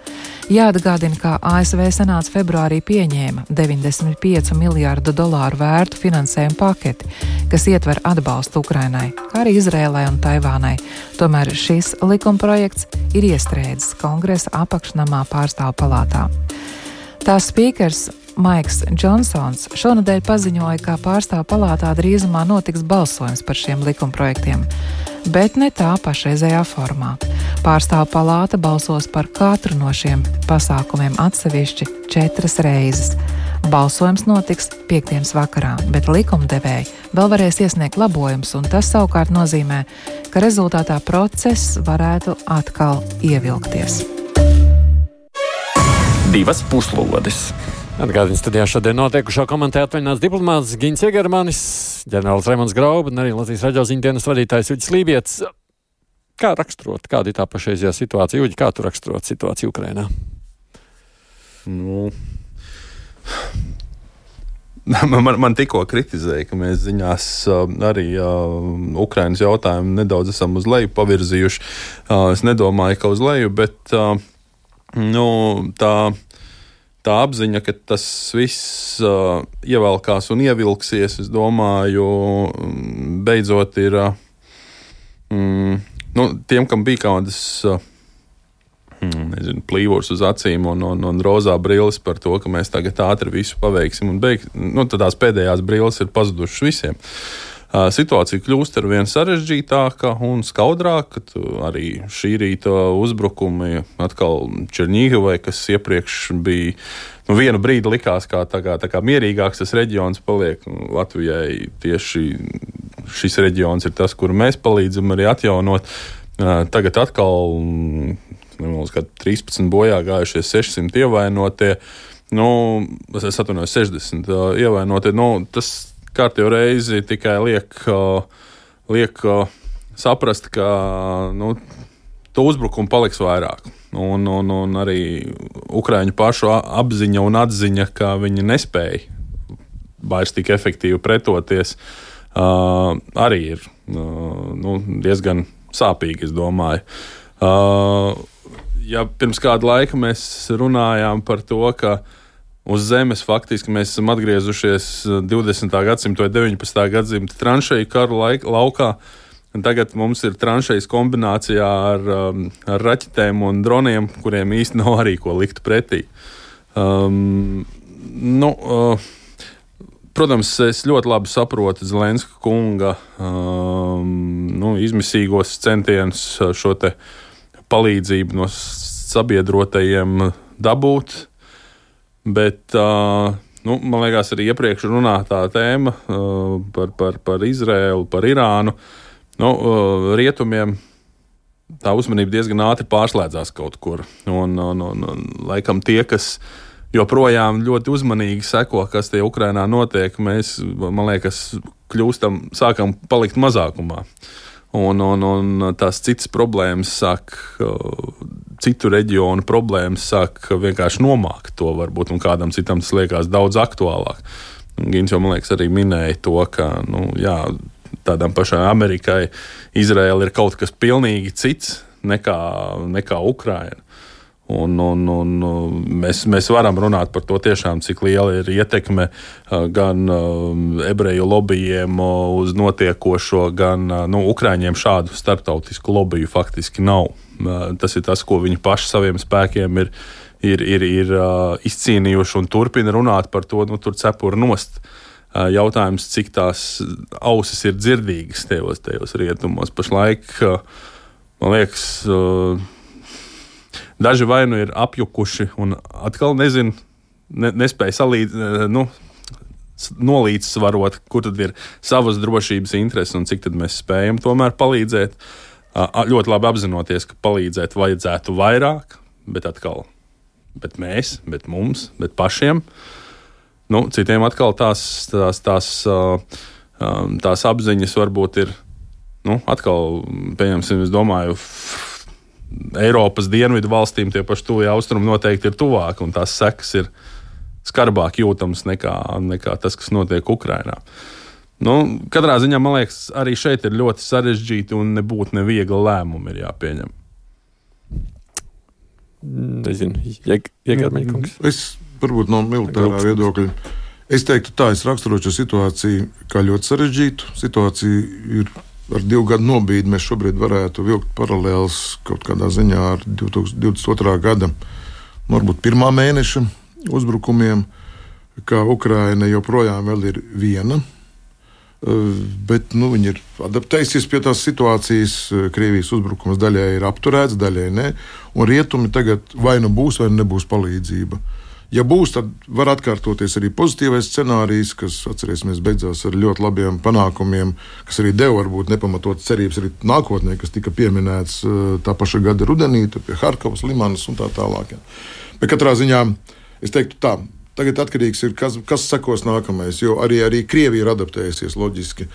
Jāatgādina, ka A S V senāts februārī pieņēma deviņdesmit piecu miljārdu dolāru vērtu finansējumu paketi, kas ietver atbalstu Ukrainai, kā arī Izrēlai un Taivānai. Tomēr šis likumprojekts ir iestrēdzis Kongresa apakšnamā Pārstāvju palātā. Tās spīkers Maiks Džonsons šonadēļ paziņoja, ka Pārstāvju palātā drīzumā notiks balsojums par šiem likumprojektiem, bet ne tā pašreizējā formā. Pārstāvju palāta balsos par katru no šiem pasākumiem atsevišķi četras reizes. Balsojums notiks piektdienas vakarā, bet likumdevēji vēl varēs iesniegt labojumus, un tas savukārt nozīmē, ka rezultātā process varētu atkal ievilkties. Divas puslodes. Atgādījums studijā šodien notiekušo komentē atvaļināts diplomāts Gins Egermanis, ģenerālis Raimonds Grauba un arī Latvijas radio ziņdienas vadītājs Uģis Lībietis. Kā raksturot, kāda ir tā pašreizējā situācija? Uģi, kā tu raksturot situāciju Ukrainā? Nu, man, man tikko kritizēja, ka mēs ziņās arī uh, Ukrainas jautājumu nedaudz esam uz leju pavirzījuši. Uh, es nedomāju, ka uz leju, bet uh, nu, tā... Tā apziņa, ka tas viss uh, ievelkās un ievilksies, es domāju, beidzot ir uh, mm, nu, tiem, kam bija kādas uh, nezinu, plīvurs uz acīm un, un, un rozā brilles par to, ka mēs tagad ātri visu paveiksim un beigsim. Nu, tad tās pēdējās brilles ir pazudušas visiem. Uh, situācija kļūst ar vien sarežģītāka un skaudrāka. Arī šī rīta uzbrukumi atkal Černīgavai, kas iepriekš bija, nu, vienu brīdi likās, kā, tā kā, tā kā mierīgāks tas reģions paliek. Latvijai tieši šis reģions ir tas, kuru mēs palīdzam arī atjaunot. Uh, tagad atkal nemaz, trīspadsmit bojā gājušie sešsimt ievainotie, nu, es atvainojos sešdesmit uh, ievainotie, nu, tas kārtējo reizi tikai liek, liek saprast, ka nu, to uzbrukumu paliks vairāk. Un, un, un arī Ukraiņu pašu apziņa un atziņa, ka viņi nespēja vairs tik efektīvi pretoties, uh, arī ir uh, nu, diezgan sāpīgi, es domāju. Uh, ja pirms kāda laika mēs runājām par to, ka uz zemes faktiski mēs esam atgriezušies divdesmitā gadsimta vai deviņpadsmitā gadsimta tranšeju karu laik, laukā. Tagad mums ir tranšejas kombinācijā ar, ar raķetēm un droniem, kuriem īsti nav arī ko likt pretī. Um, nu, uh, protams, es ļoti labi saprotu Zelenska kunga um, nu, izmisīgos centienus šo te palīdzību no sabiedrotajiem dabūt. Bet, uh, nu, man liekas, arī iepriekš runātā tēma uh, par, par, par Izrēlu, par Irānu, nu, uh, rietumiem tā uzmanība diezgan ātri pārslēdzās kaut kur. Un, un, un, un laikam tie, kas joprojām ļoti uzmanīgi seko, kas tie Ukrainā notiek, mēs, man liekas, kļūstam, sākam palikt mazākumā. Un, un, un tās citas problēmas sāk, citu reģionu problēmas sāk vienkārši nomākt to varbūt, un kādam citam tas liekas daudz aktuālāk. Un Gins jau, man liekas, arī minēja to, ka, nu, jā, tādām pašām Amerikai Izraela ir kaut kas pilnīgi cits nekā, nekā Ukraina. Un, un, un mēs, mēs varam runāt par to tiešām, cik liela ir ietekme gan ebreju lobbyiem uz notiekošo, gan nu, Ukraiņiem šādu starptautisku lobiju faktiski nav. Tas ir tas, ko viņi paši saviem spēkiem ir, ir, ir, ir izcīnījuši un turpina runāt par to, nu, tur cepura nost. Jautājums, cik tās ausis ir dzirdīgas tajos, tajos rietumos. Pašlaik, man liekas, daži vai nu ir apjukuši un atkal nezinu, ne, nespēja salīdz, nu, nolīdzsvarot, kur tad ir savas drošības intereses un cik tad mēs spējam tomēr palīdzēt. Ļoti labi apzinoties, ka palīdzēt vajadzētu vairāk, bet atkal, bet mēs, bet mums, bet pašiem. Nu, citiem atkal tās, tās, tās, tās apziņas varbūt ir, nu, atkal, pieņemsim, es domāju, Eiropas dienvidu valstīm tie paši tuvie austrumi noteikti ir tuvāk, un tās sekas ir skarbāk jūtams nekā, nekā tas, kas notiek Ukrainā. Nu, katrā ziņā, man liekas, arī šeit ir ļoti sarežģīti un nebūtu neviegli lēmumi ir jāpieņem. Nezinu, Jēgarmeļkungs. Es varbūt no militārā viedokļa. Es teiktu tā, es raksturošu situāciju kā ļoti sarežģītu. Situācija ir ar divu gadu nobīdi. Mēs šobrīd varētu vilkt paralēlus kaut kādā ziņā ar divtūkstoš divdesmit otrā gada, varbūt pirmā mēneša uzbrukumiem, kā Ukraina joprojām vēl ir viena. Bet nu, viņi ir adaptējusies pie tās situācijas. Krievijas uzbrukums daļai ir apturēts, daļai ne. Un rietumi tagad vai nu būs, vai nebūs palīdzība. Ja būs, tad var atkārtoties arī pozitīvais scenārijs, kas, atcerēsimies, beidzās ar ļoti labiem panākumiem, kas arī deva varbūt nepamatotas cerības arī nākotnē, kas tika pieminēts tā paša gada rudenī, pie Harkovas, Limanas un tā tālāk. Ja. Bet katrā ziņā es teiktu tā. Tagad atkarīgs ir, kas, kas sekos nākamais, jo arī, arī Krievija ir adaptējusies loģiski.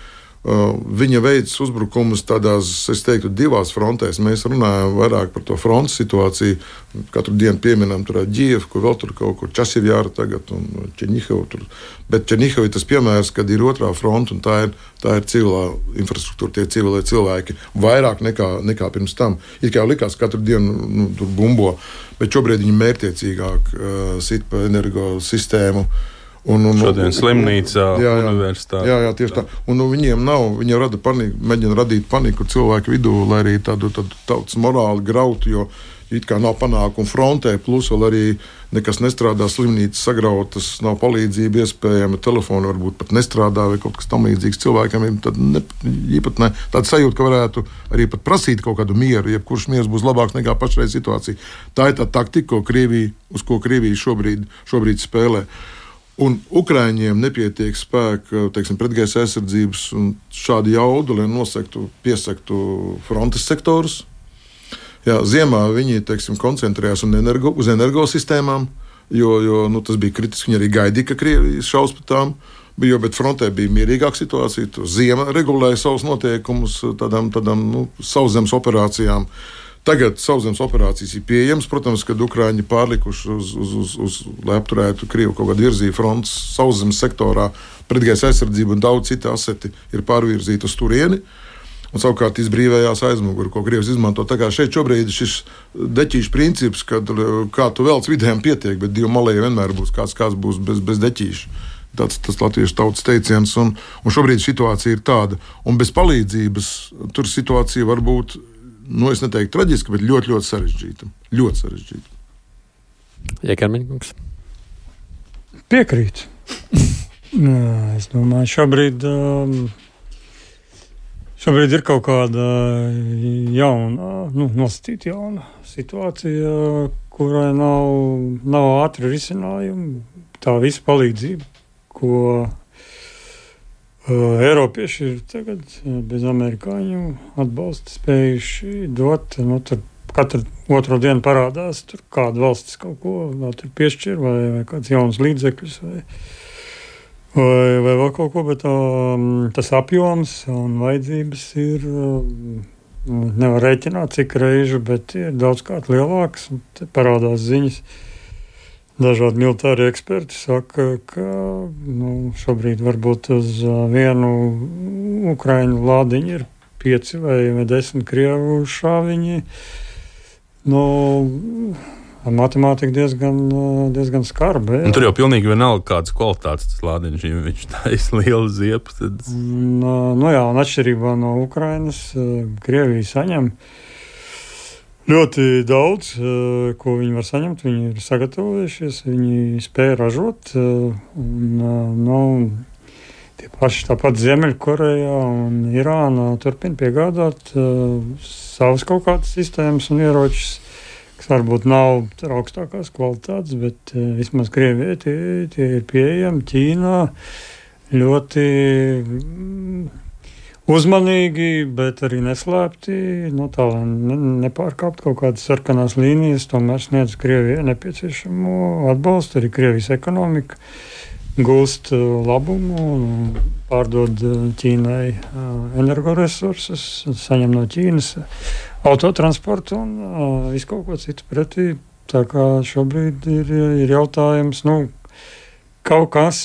Uh, viņa veids uzbrukumus tādās, es teiktu, divās frontēs. Mēs runājam vairāk par to frontes situāciju. Katru dienu pieminam tur Ģievu, kur vēl tur kaut kur Časivjāra tagad un Černihivu tur. Bet Černihivu ir tas piemērs, kad ir otrā fronta un tā ir, tā ir civilā infrastruktūra, tie civilie cilvēki. Vairāk nekā, nekā pirms tam. It kā likās, katru dienu nu, tur bumbo, bet šobrīd viņi mērķiecīgāk uh, sit pa energosistēmu. Un, un, Šodien slimnīcā, jā, jā, universitāte. Jā, jā, tieši tā. Un nu, viņiem nav, viņi rada paniku, mēģina radīt paniku cilvēku vidū, lai arī tādu, tādu tautas morāli grautu, jo it kā nav panākumu frontē, plus vēl arī nekas nestrādā, slimnīcas sagrautas, nav palīdzība iespējama, telefoni varbūt pat nestrādā vai kaut kas tam līdzīgs cilvēkam, tad ne, īpat ne. Tāda sajūta, ka varētu arī pat prasīt kaut kādu mieru, jebkurš miers būs labāks nekā pašreiz situācija. Tā ir tā taktika, ko Krievija, uz ko Krievija šobrīd, šobrīd spēlē. Un Ukraiņiem nepietiek spēka, teiksim, pretgaisa aizsardzības un šādi jaudu, lai nosektu, piesektu frontes sektorus. Jā, ziemā viņi, teiksim, koncentrējās un energo, uz energosistēmām, jo, jo nu, tas bija kritiski. Viņi arī gaidīja, ka Krievija šaus par tām, jo, bet frontē bija mierīgāka situācija. Tur ziema regulēja savus noteikumus tādām, tādām nu, sauszemes operācijām. Tagad sauszemes operācijas ir pieejamas. Protams, kad Ukraiņi pārlikuši, uz, uz, uz, uz, lai apturētu Krievu kaut kādu virzību frontes sauszemes sektorā, pretgaisa aizsardzību un daudz citu aseti ir pārvirzīti uz turieni. Un savukārt izbrīvējās aizmuguri, ko Krievs izmanto. Tā kā šeit šobrīd šis deķīšu princips, kad kā tu velc vidējiem pietiek, bet divu malēju vienmēr būs kāds, kāds būs bez, bez deķīša. Tāds tas latviešu tautas teiciens. Un, un šobrīd situācija ir tāda. Un bez palīdzības tur situācija var būt, nu, es neteiktu traģiska, bet ļoti, ļoti sarežģīta. Ļoti sarežģīta. Jēgarmeļkungs. Piekrīt. Es domāju, šobrīd, šobrīd ir kaut kāda jauna, nu, nosacīta jauna situācija, kurai nav, nav ātri risinājumi. Tā visa palīdzība, ko Uh, Eiropieši ir tagad bez amerikāņu atbalsta spējuši dot. Nu, tur katru otro dienu parādās, tur kāda valstis kaut ko vēl tur piešķir, vai, vai kāds jauns līdzekļus, vai, vai, vai vēl kaut ko, bet um, tas apjoms un vajadzības ir, um, nevar rēķināt cik reižu, bet ir daudzkārt lielāks, un te parādās ziņas. Dažādi militāri eksperti saka, ka nu, šobrīd varbūt uz vienu Ukraiņu lādiņi ir pieci vai, vai desmit krievu šāviņi. Nu, matemātika diezgan, diezgan skarba. Tur jau pilnīgi vienalga kādas kvalitātes tas lādiņš, ja viņš taisa lielu ziepu. Tad... Nu, nu jā, un atšķirībā no Ukrainas, Krievija saņem ļoti daudz, ko viņi var saņemt. Viņi ir sagatavojušies, viņi spēja ražot. Un, nu, tie paši tāpat Ziemeļkorejā un Irānā turpina piegādāt savas kaut kādas sistēmas un ieročus, kas varbūt nav augstākās kvalitātes, bet uh, vismaz Krievijai tie, tie ir pieejami. Ķīnā ļoti mm, uzmanīgi, bet arī neslēpti, nu, tā, lai ne, nepārkāpt kaut kādas sarkanās līnijas, tomēr sniedz Krievijai nepieciešamo atbalstu. Arī Krievijas ekonomika gūst uh, labumu un pārdod uh, Ķīnai uh, energoresursus, saņem no Ķīnas autotransportu un uh, visu kaut ko citu pretī. Tā kā šobrīd ir, ir jautājums, nu, kaut kas,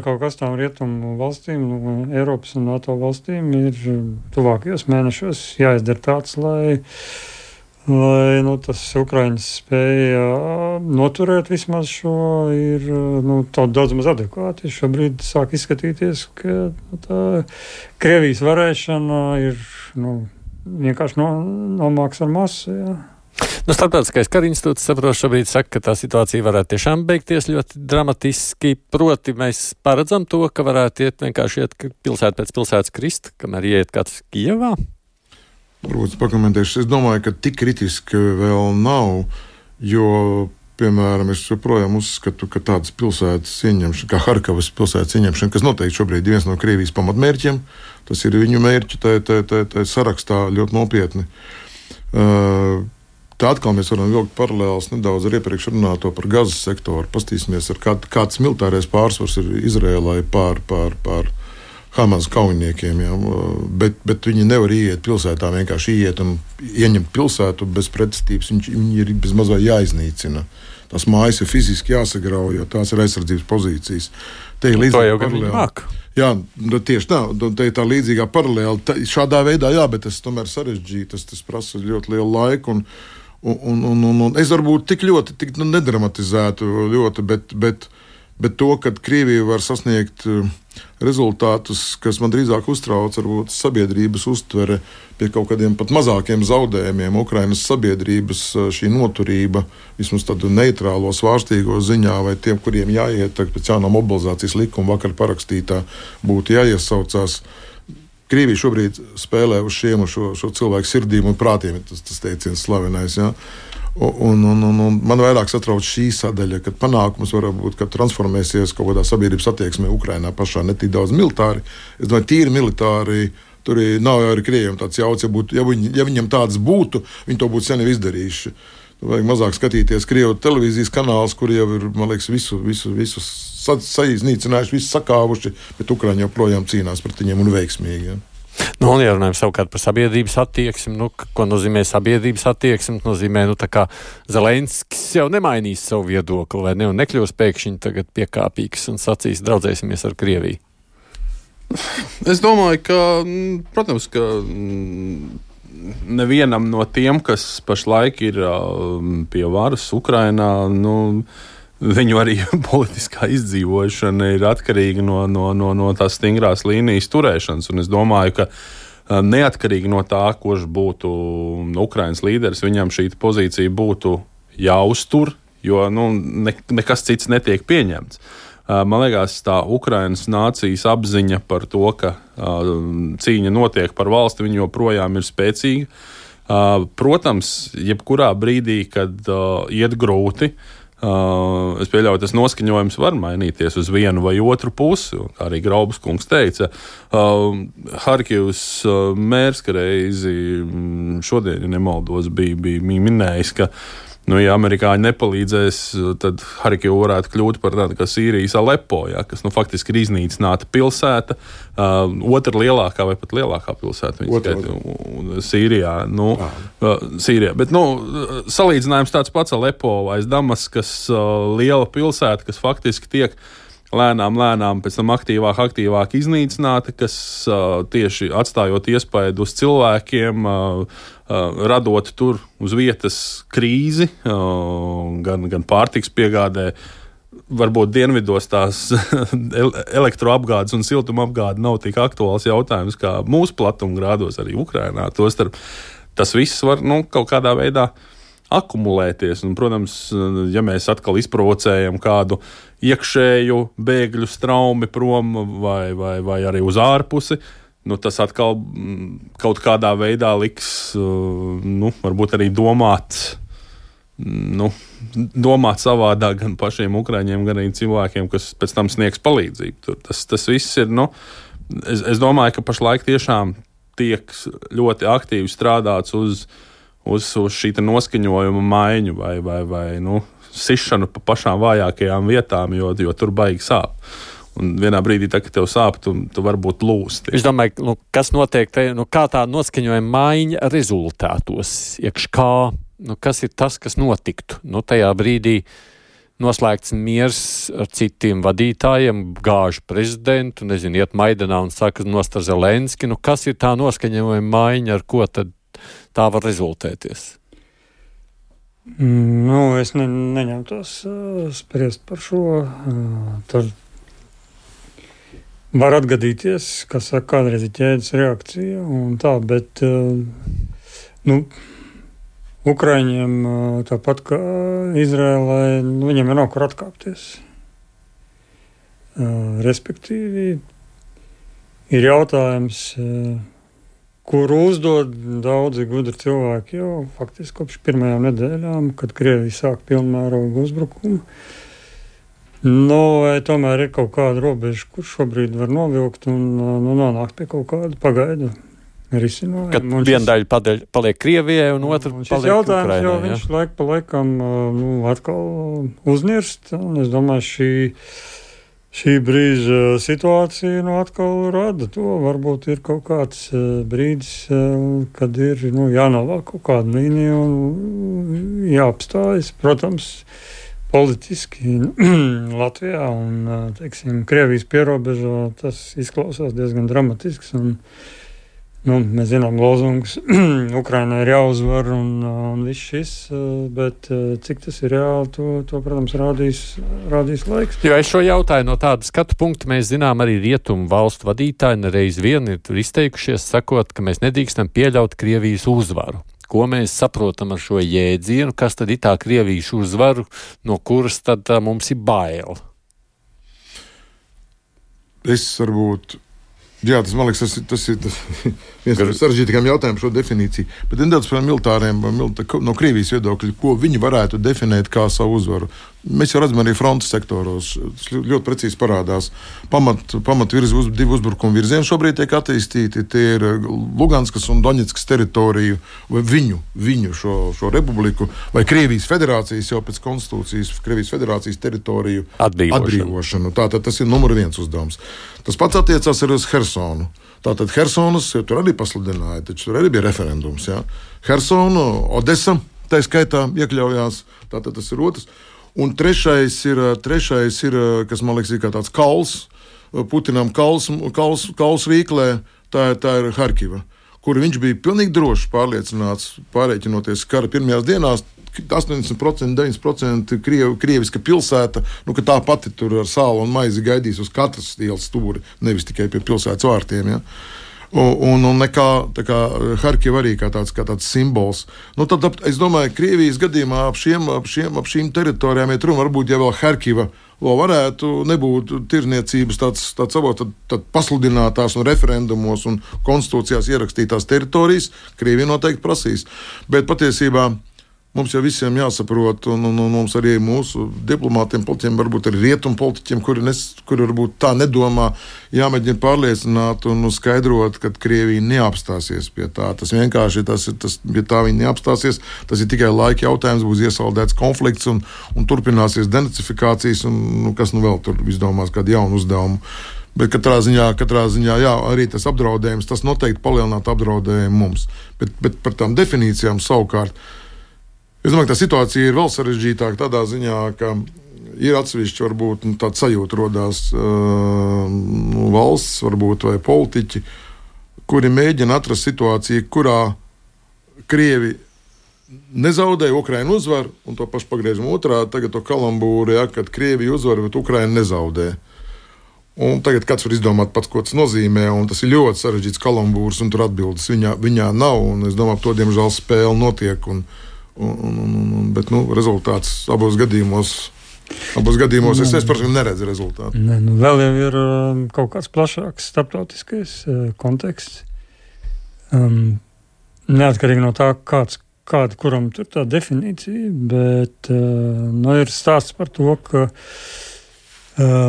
kaut kas tām rietumu valstīm, nu, Eiropas un NATO valstīm ir tuvākajos mēnešos jāizdara tāds, lai, lai nu, tas Ukraiņas spēja noturēt vismaz šo, ir nu, daudz maz adekvāti. Šobrīd sāk izskatīties, ka nu, tā Krievijas varēšana ir, nu, vienkārši no, nomāks ar masu, jā. Nu, Starptautiskais kara institūts, saprotu, šobrīd saka, ka tā situācija varētu tiešām beigties ļoti dramatiski. Proti mēs paredzam to, ka varētu iet vienkārši iet pilsētu pēc pilsētas krist, kamēr iet kāds Kijevā. Varbūt pakomentēšu. Es domāju, ka tik kritiski vēl nav, jo, piemēram, es joprojām uzskatu, ka tādas pilsētas ieņemšana, kā Harkavas pilsētas ieņemšana, kas noteikti šobrīd ir viens no Krievijas pamatmērķiem, tas ir viņu mērķi, tā, tā, tā, tā sarakstā ļoti nopietni. Uh, tā atkal mēs varam vilkt paralēlus nedaudz ar iepriekš runāto par Gazas sektoru. Pastīsimies, ar kā, kāds militārais pārsvars ir Izrēlai pār, pār, pār Hamas kaujiniekiem. Ja? Bet, bet viņi nevar ieiet pilsētā, vienkārši ieiet un ieņemt pilsētu bez pretestības. Viņi, viņi ir bez mazā jāiznīcina. Tās mājas ir fiziski jāsagrauj, jo tās ir aizsardzības pozīcijas. Te ir līdzīga paralēla. Jā, tieši tā, te ir tā līdzīgā paralēla. Tā, šādā veidā, jā, bet tas tomēr sarežģīti, tas, tas prasa ļoti lielu laiku. Un, un, un, un, un es varbūt tik ļoti, tik nu, nedramatizētu ļoti, bet, bet, bet to, ka Krievija var sasniegt rezultātus, kas man drīzāk uztrauc, varbūt sabiedrības uztvere pie kaut kādiem pat mazākiem zaudējumiem, Ukrainas sabiedrības šī noturība, vismaz tādu neitrālo, svārstīgo ziņā, vai tiem, kuriem jāiet, pēc jaunā mobilizācijas likuma vakar parakstītā, būtu jāiesaucās. Krievija šobrīd spēlē uz šiem, uz šo, šo cilvēku sirdīm un prātiem, tas, tas teiciens slavenais, jā. Un, un, un, un man vairāk satrauc šī sadaļa, kad panākums var būt, ka transformēsies kaut kādā sabiedrības attieksmē Ukrainā pašā, ne tik daudz militāri. Es domāju, tīri militāri, tur nav jau arī Krievijam tāds jauts, ja, būtu, ja, viņi, ja viņam tāds būtu, viņi to būtu sen jau izdarījuši. Vajag mazāk skatīties Krievu televīzijas kanālus, kur jau ir, man liekas, visu, visu, visu saiznīcinājuši, visu sakāvuši, bet Ukraiņi joprojām cīnās pret viņiem un veiksmīgi. Ja. Nu, un ja runājam savukārt par sabiedrības attieksmi, nu, ko nozīmē sabiedrības attieksmi, nozīmē, nu, tā kā Zelenskis jau nemainīs savu viedokli, vai ne, un nekļūs pēkšņi tagad piekāpīgs un sacīs, draudzēsimies ar Krieviju. Es domāju, ka, protams, ka nevienam no tiem, kas pašlaik ir pie varas Ukrainā, nu, viņu arī politiskā izdzīvošana ir atkarīga no, no, no, no tās stingrās līnijas turēšanas. Un es domāju, ka neatkarīgi no tā, kurš būtu Ukrainas līderis, viņam šī pozīcija būtu jāuztur, jo nu, ne, nekas cits netiek pieņemts. Man liekas, tā Ukrainas nācijas apziņa par to, ka cīņa notiek par valsti, viņa joprojām ir spēcīga. Protams, jebkurā brīdī, kad iet grūti, Uh, es pieļauju, tas noskaņojums var mainīties uz vienu vai otru pusi, kā arī Graubas kungs teica. Uh, Harkivas uh, mērs reizi šodien, ja nemaldos, bija, bija minējis, ka nu, ja amerikāņi nepalīdzēs, tad Harkiva varētu kļūt par tādu kā Sīrijas Alepo, ja, kas nu, faktiski ir iznīcināta pilsēta, uh, otra lielākā vai pat lielākā pilsēta skaita, Sīrijā. Nu, uh, Sīrijā. Bet nu, salīdzinājums tāds pats Alepo aiz Damaskas, uh, liela pilsēta, kas faktiski tiek lēnām, lēnām pēc tam aktīvāk, aktīvāk iznīcināta, kas uh, tieši atstājot iespaidu uz cilvēkiem, uh, uh, radot tur uz vietas krīzi, uh, gan, gan pārtiks piegādē. Varbūt dienvidos tās elektroapgādes un siltumapgāde nav tik aktuāls jautājums kā mūsu platumgrādos, arī Ukrainā. Tostarp tas viss var nu, kaut kādā veidā akumulēties. Un, protams, ja mēs atkal izprovocējam kādu iekšēju bēgļu straumi prom vai, vai, vai arī uz ārpusi, nu, tas atkal kaut kādā veidā liks, nu, varbūt arī domāt. Nu, domāt savādāk gan pašiem ukraiņiem, gan arī cilvēkiem, kas pēc tam sniegs palīdzību. Tur tas, tas viss ir, nu, es, es domāju, ka pašlaik tiešām tiek ļoti aktīvi strādāts uz, uz, uz šī noskaņojuma maiņu vai, vai, vai nu, sišanu pa pašām vājākajām vietām, jo, jo tur baigi sāp. Un vienā brīdī, tā, kad tev sāp, tu, tu varbūt lūsti. Es domāju, nu, kas notiek, te, nu, kā tā noskaņojuma maiņa rezultātos, iekš kā, nu, kas ir tas, kas notiktu? Nu, tajā brīdī noslēgts miers ar citiem vadītājiem, gāž prezidentu, nezinu, iet Maidanā un saka nost ar Zelenski. Nu, kas ir tā noskaņojuma maiņa, ar ko tad tā var rezultēties? Nu, es ne, neņemtos uh, spriest par šo. Uh, tad var atgadīties, kas saka, kādreiz ir ķēdes reakcija un tā, bet uh, nu, Ukraiņiem, tāpat kā Izrēlai, nu, viņiem ir nav kur atkāpties. Respektīvi, ir jautājums, kuru uzdod daudzi gudri cilvēki jau faktiski kopš pirmajām nedēļām, kad Krievija sāk pilnmērogu uzbrukumu. Nu, vai tomēr ir kaut kāda robeža, kur šobrīd var novilkt un nu, nonākt pie kaut kāda pagaidu risinājumu. Kad viena daļa padaļ, paliek Krievijai un otra un paliek Ukrainai. Jau viņš ja? laik pa laikam nu, atkal uznirst. Un es domāju, šī, šī brīža situācija nu, atkal rada to. Varbūt ir kaut kāds brīdis, kad ir nu, jānovelk kaut kāda līnija un jāapstājas. Protams, politiski Latvijā un teiksim, Krievijas pierobežā tas izklausās diezgan dramatisks un nu, mēs zinām lozungus, Ukrainai ir jāuzvar un, un viss šis, bet cik tas ir reāli, to, to protams, rādīs, rādīs laiks. Jo es šo jautāju no tāda skatu punkta, mēs zinām arī rietumu valstu vadītāji nereiz vien ir izteikušies, sakot, ka mēs nedrīkstam pieļaut Krievijas uzvaru. Ko mēs saprotam ar šo jēdzienu, kas tad ir tā Krievijas uzvaru, no kuras tad tā, mums ir bail? Es varbūt... Jā, tas man liekas, tas, tas ir tas viens no sarežģītākajiem jautājumiem par šo definīciju. Bet nedaudz par militāriem, no Krievijas viedokļa, ko viņi varētu definēt kā savu uzvaru. Mēs jau redzam arī frontes sektoros, tas ļoti precīzi parādās. Pamat, pamat virzi, uz, divi uzbrukuma virzieni šobrīd tiek attīstīti. Tie ir Luganskas un Doņetskas teritoriju, vai viņu, viņu šo, šo republiku, vai Krievijas federācijas jau pēc konstitūcijas, Krievijas federācijas teritoriju atbrīvošanu. atbrīvošanu. Tātad tas ir numur viens uzdevums. Tas pats attiecās arī uz Hersonu. Tātad Hersonas tur arī pasludināja, taču tur arī bija referendums. Jā. Hersonu, Odesa, tā skaitā iekļaujās, tātad tas ir otrs. Un trešais ir, trešais ir, kas man liekas, ir kā tāds kauls, Putinam kauls, kauls, kauls rīklē, tā, tā ir Harkiva, kur viņš bija pilnīgi droši pārliecināts, pārēķinoties kara pirmajās dienās, astoņdesmit procenti, deviņdesmit procenti kriev, krieviska pilsēta, nu, ka tā pati tur ar sālu un maizi gaidīs uz katras ielas stūri, nevis tikai pie pilsētas vārtiem, ja. Un, un nekā, tā kā Harkiva arī kā tāds, kā tāds simbols. Nu, tad, es domāju, Krievijas gadījumā ap, šiem, ap, šiem, ap šīm teritorijām iet runa, varbūt, ja vēl Harkiva vēl varētu nebūt tirniecības tāds, tāds savot, tad, tad pasludinātās un referendumos un konstitūcijās ierakstītās teritorijas, Krievija noteikti prasīs. Bet patiesībā mums jau visiem jāsaprot, un, un, un mums arī mūsu diplomātiem, politiķiem, varbūt arī rietumu politiķiem, kuri, nes, kuri varbūt tā nedomā, jāmēģina pārliecināt un skaidrot, ka Krievija neapstāsies pie tā. Tas vienkārši, tas, tas, ja tā viņa neapstāsies, tas ir tikai laika jautājums, būs iesaldēts konflikts un, un turpināsies denacifikācijas, un nu, kas nu vēl tur izdomās kādu jaunu uzdevumu. Bet katrā ziņā, katrā ziņā jā, arī tas apdraudējums, tas noteikti palielinātu apdraudējumu mums. Bet, bet par tām definīcijām savukārt, es domāju, ka tā situācija ir vēl sarežģītāka tādā ziņā, ka ir atsevišķi, varbūt nu, tāda sajūta rodās uh, nu, valsts, varbūt vai politiķi, kuri mēģina atrast situāciju, kurā Krievi nezaudēja, Ukraina uzvar, un to pašu pagriežam otrādi, tagad to kalambūru, ja, kad Krievija uzvar, bet Ukraina nezaudē. Un tagad kāds var izdomāt pats, ko tas nozīmē, un tas ir ļoti sarežģīts kalambūrs, un tur atbildes viņā, viņā nav, un es domāju, to diemžēl spēle notiek, un, un, un, un, bet nu, rezultāts abos gadījumos, abos gadījumos es, es personīgi neredzu rezultātu. Ne, nu, vēl jau ir um, kaut kāds plašāks starptautiskais uh, konteksts. Um, neatkarīgi no tā, kāds kāda, kuram tur tā definīcija, bet uh, nu, ir stāsts par to, ka uh,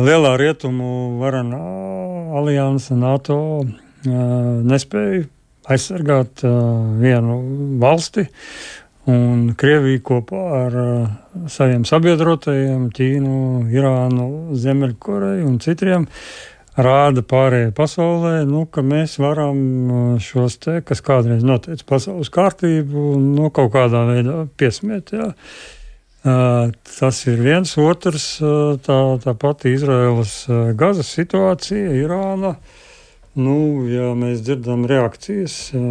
lielā rietumu varanā alianse NATO uh, nespēja aizsargāt uh, vienu valsti, un Krievija kopā ar uh, saviem sabiedrotajiem, Ķīnu, Irānu, Ziemeļkoreju un citiem, rāda pārējai pasaulē, nu, ka mēs varam šos te, kas kādreiz noteica pasaules kārtību, no kaut kādā veidā piesmiet. Jā. Uh, tas ir viens, otrs, uh, tā, tā pati Izraēlas uh, Gazas situācija, Irāna. Nu, ja mēs dzirdam reakcijas uh,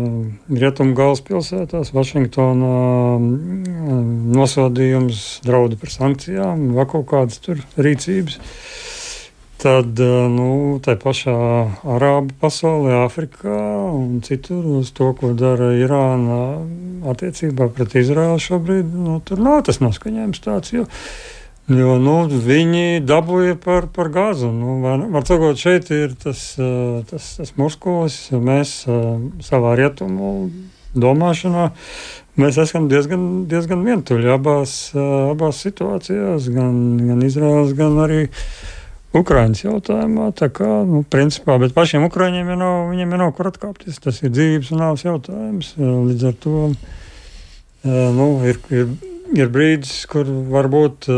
rietumu galvaspilsētās, Vašingtonā uh, nosodījums, draudi par sankcijām, vai kaut kādas tur rīcības. Tad, nu, tā pašā Arābu pasaulē, Āfrikā un citur uz to, ko dara Irāna attiecībā pret Izraēlu šobrīd, nu, tur nav tas noskaņojums tāds, jo, jo nu, viņi dabūja par, par gāzu. Nu, var, var sakot, šeit ir tas, tas, tas muskulis, mēs savā rietumu domāšanā, mēs esam diezgan, diezgan vientuļi abās, abās situācijās, gan, gan Izraēlas, gan arī Ukrainas jautājumā, tā kā, nu, principā, bet pašiem Ukraiņiem jau nav, viņiem jau nav kur atkāpties. Tas ir dzīvības un nāves jautājums. Līdz ar to, nu, ir, ir, ir brīdis, kur varbūt,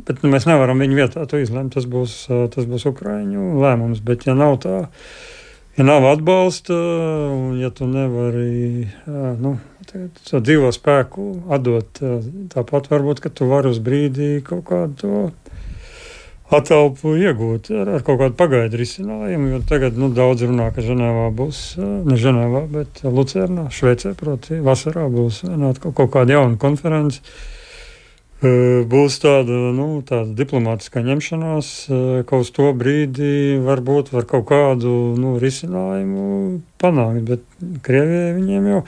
bet nu, mēs nevaram viņu vietā to izlemt. Tas būs, tas būs Ukraiņu lēmums, bet ja nav tā, ja nav atbalsta, un ja tu nevari, nu, tā dzīvo spēku atdot, tāpat varbūt, ka tu vari uz brīdī kaut kādu to atelpu iegūt ar, ar kaut kādu pagaidu risinājumu, jo tagad, nu, daudz runā, ka Ženēvā būs, ne Ženēvā, bet Lucernā, Šveicē, proti, vasarā būs atkal kaut kāda jauna konference. Būs tāda, nu, tāda diplomātiskā ņemšanās, ka uz to brīdi varbūt var kaut kādu, nu, risinājumu panākt, bet Krievijai viņiem jau,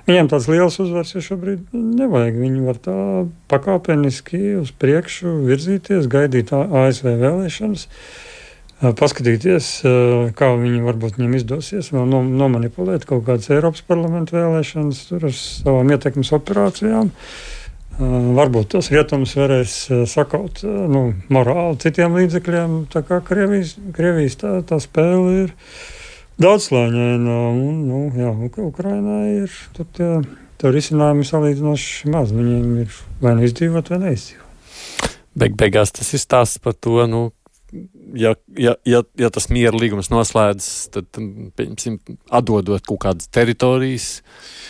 viņiem tāds liels uzvars jau šobrīd nevajag. Viņi var tā pakāpeniski uz priekšu virzīties, gaidīt A S V vēlēšanas, paskatīties, kā viņi varbūt viņiem izdosies vēl nomanipulēt kaut kādas Eiropas parlamenta vēlēšanas tur ar savām ietekmes operācijām. Uh, varbūt tos rietumus varēs uh, sakaut uh, nu, morāli citiem līdzekļiem. Tā kā Krievijas, Krievijas tā, tā spēle ir daudzslāņaina, un nu, jā, Ukrainā ir tur tie, tie risinājumi salīdzinoši maz. Viņiem ir vai nu izdzīvot, vai neizdzīvot. Beig beigās tas ir stāsts par to, nu, ja, ja, ja, ja tas miera līgums noslēdz, tad, pieņemsim, atdodot kaut kādas teritorijas.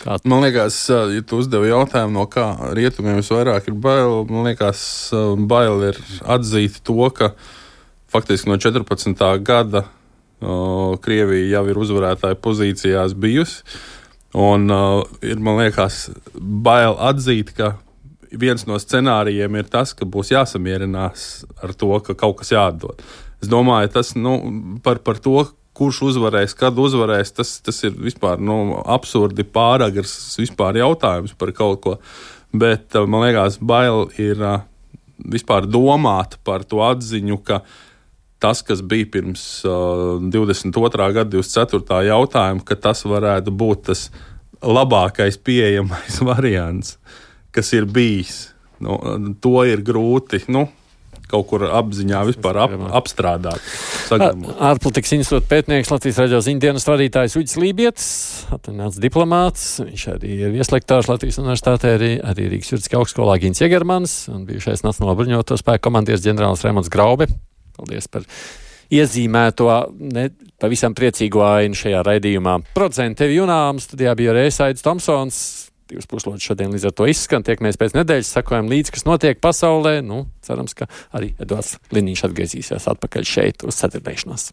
Kā... Man liekas, ja tu uzdevi jautājumu, no kā rietumiem visvairāk ir bail, man liekas, bail ir atzīt to, ka faktiski no četrpadsmitā gada o, Krievija jau ir uzvarētāja pozīcijās bijusi, un o, ir, man liekas, bail atzīt, ka viens no scenārijiem ir tas, ka būs jāsamierinās ar to, ka kaut kas jāatdod. Es domāju, tas nu, par, par to, kurš uzvarēs, kad uzvarēs, tas, tas ir vispār nu, absurdi pāragrs vispār jautājums par kaut ko. Bet man liekas, bail ir vispār domāt par to atziņu, ka tas, kas bija pirms uh, divdesmit otrā gada divdesmit ceturtā jautājuma, ka tas varētu būt tas labākais pieejamais variants, kas ir bijis. Nu, to ir grūti nu, kaut kur apziņā vispār ap, apstrādāt. Ārpolitikas institūta pētnieks, Latvijas radio ziņdienas vadītājs Uģis Lībietis, atvaļināts diplomāts. Viņš arī ir vieslektārs Latvijas universitātē, arī, arī Rīgas juridiskā augstskolā Gins Jegermans un bijušais Nacionālo bruņoto spēku komandieris ģenerālis Raimonds Graube. Paldies par iezīmēto, ne, pavisam priecīgo ainu šajā raidījumā. Producenti tevi Junām, studijā bija Reisaidis Tomsons. Divas puslodes šodien līdz ar to izskan. Tiekamies pēc nedēļas, sakojam līdzi, kas notiek pasaulē. Nu, cerams, ka arī Eduards Liniņš atgriezīsies atpakaļ šeit uz ceturtdiešanos.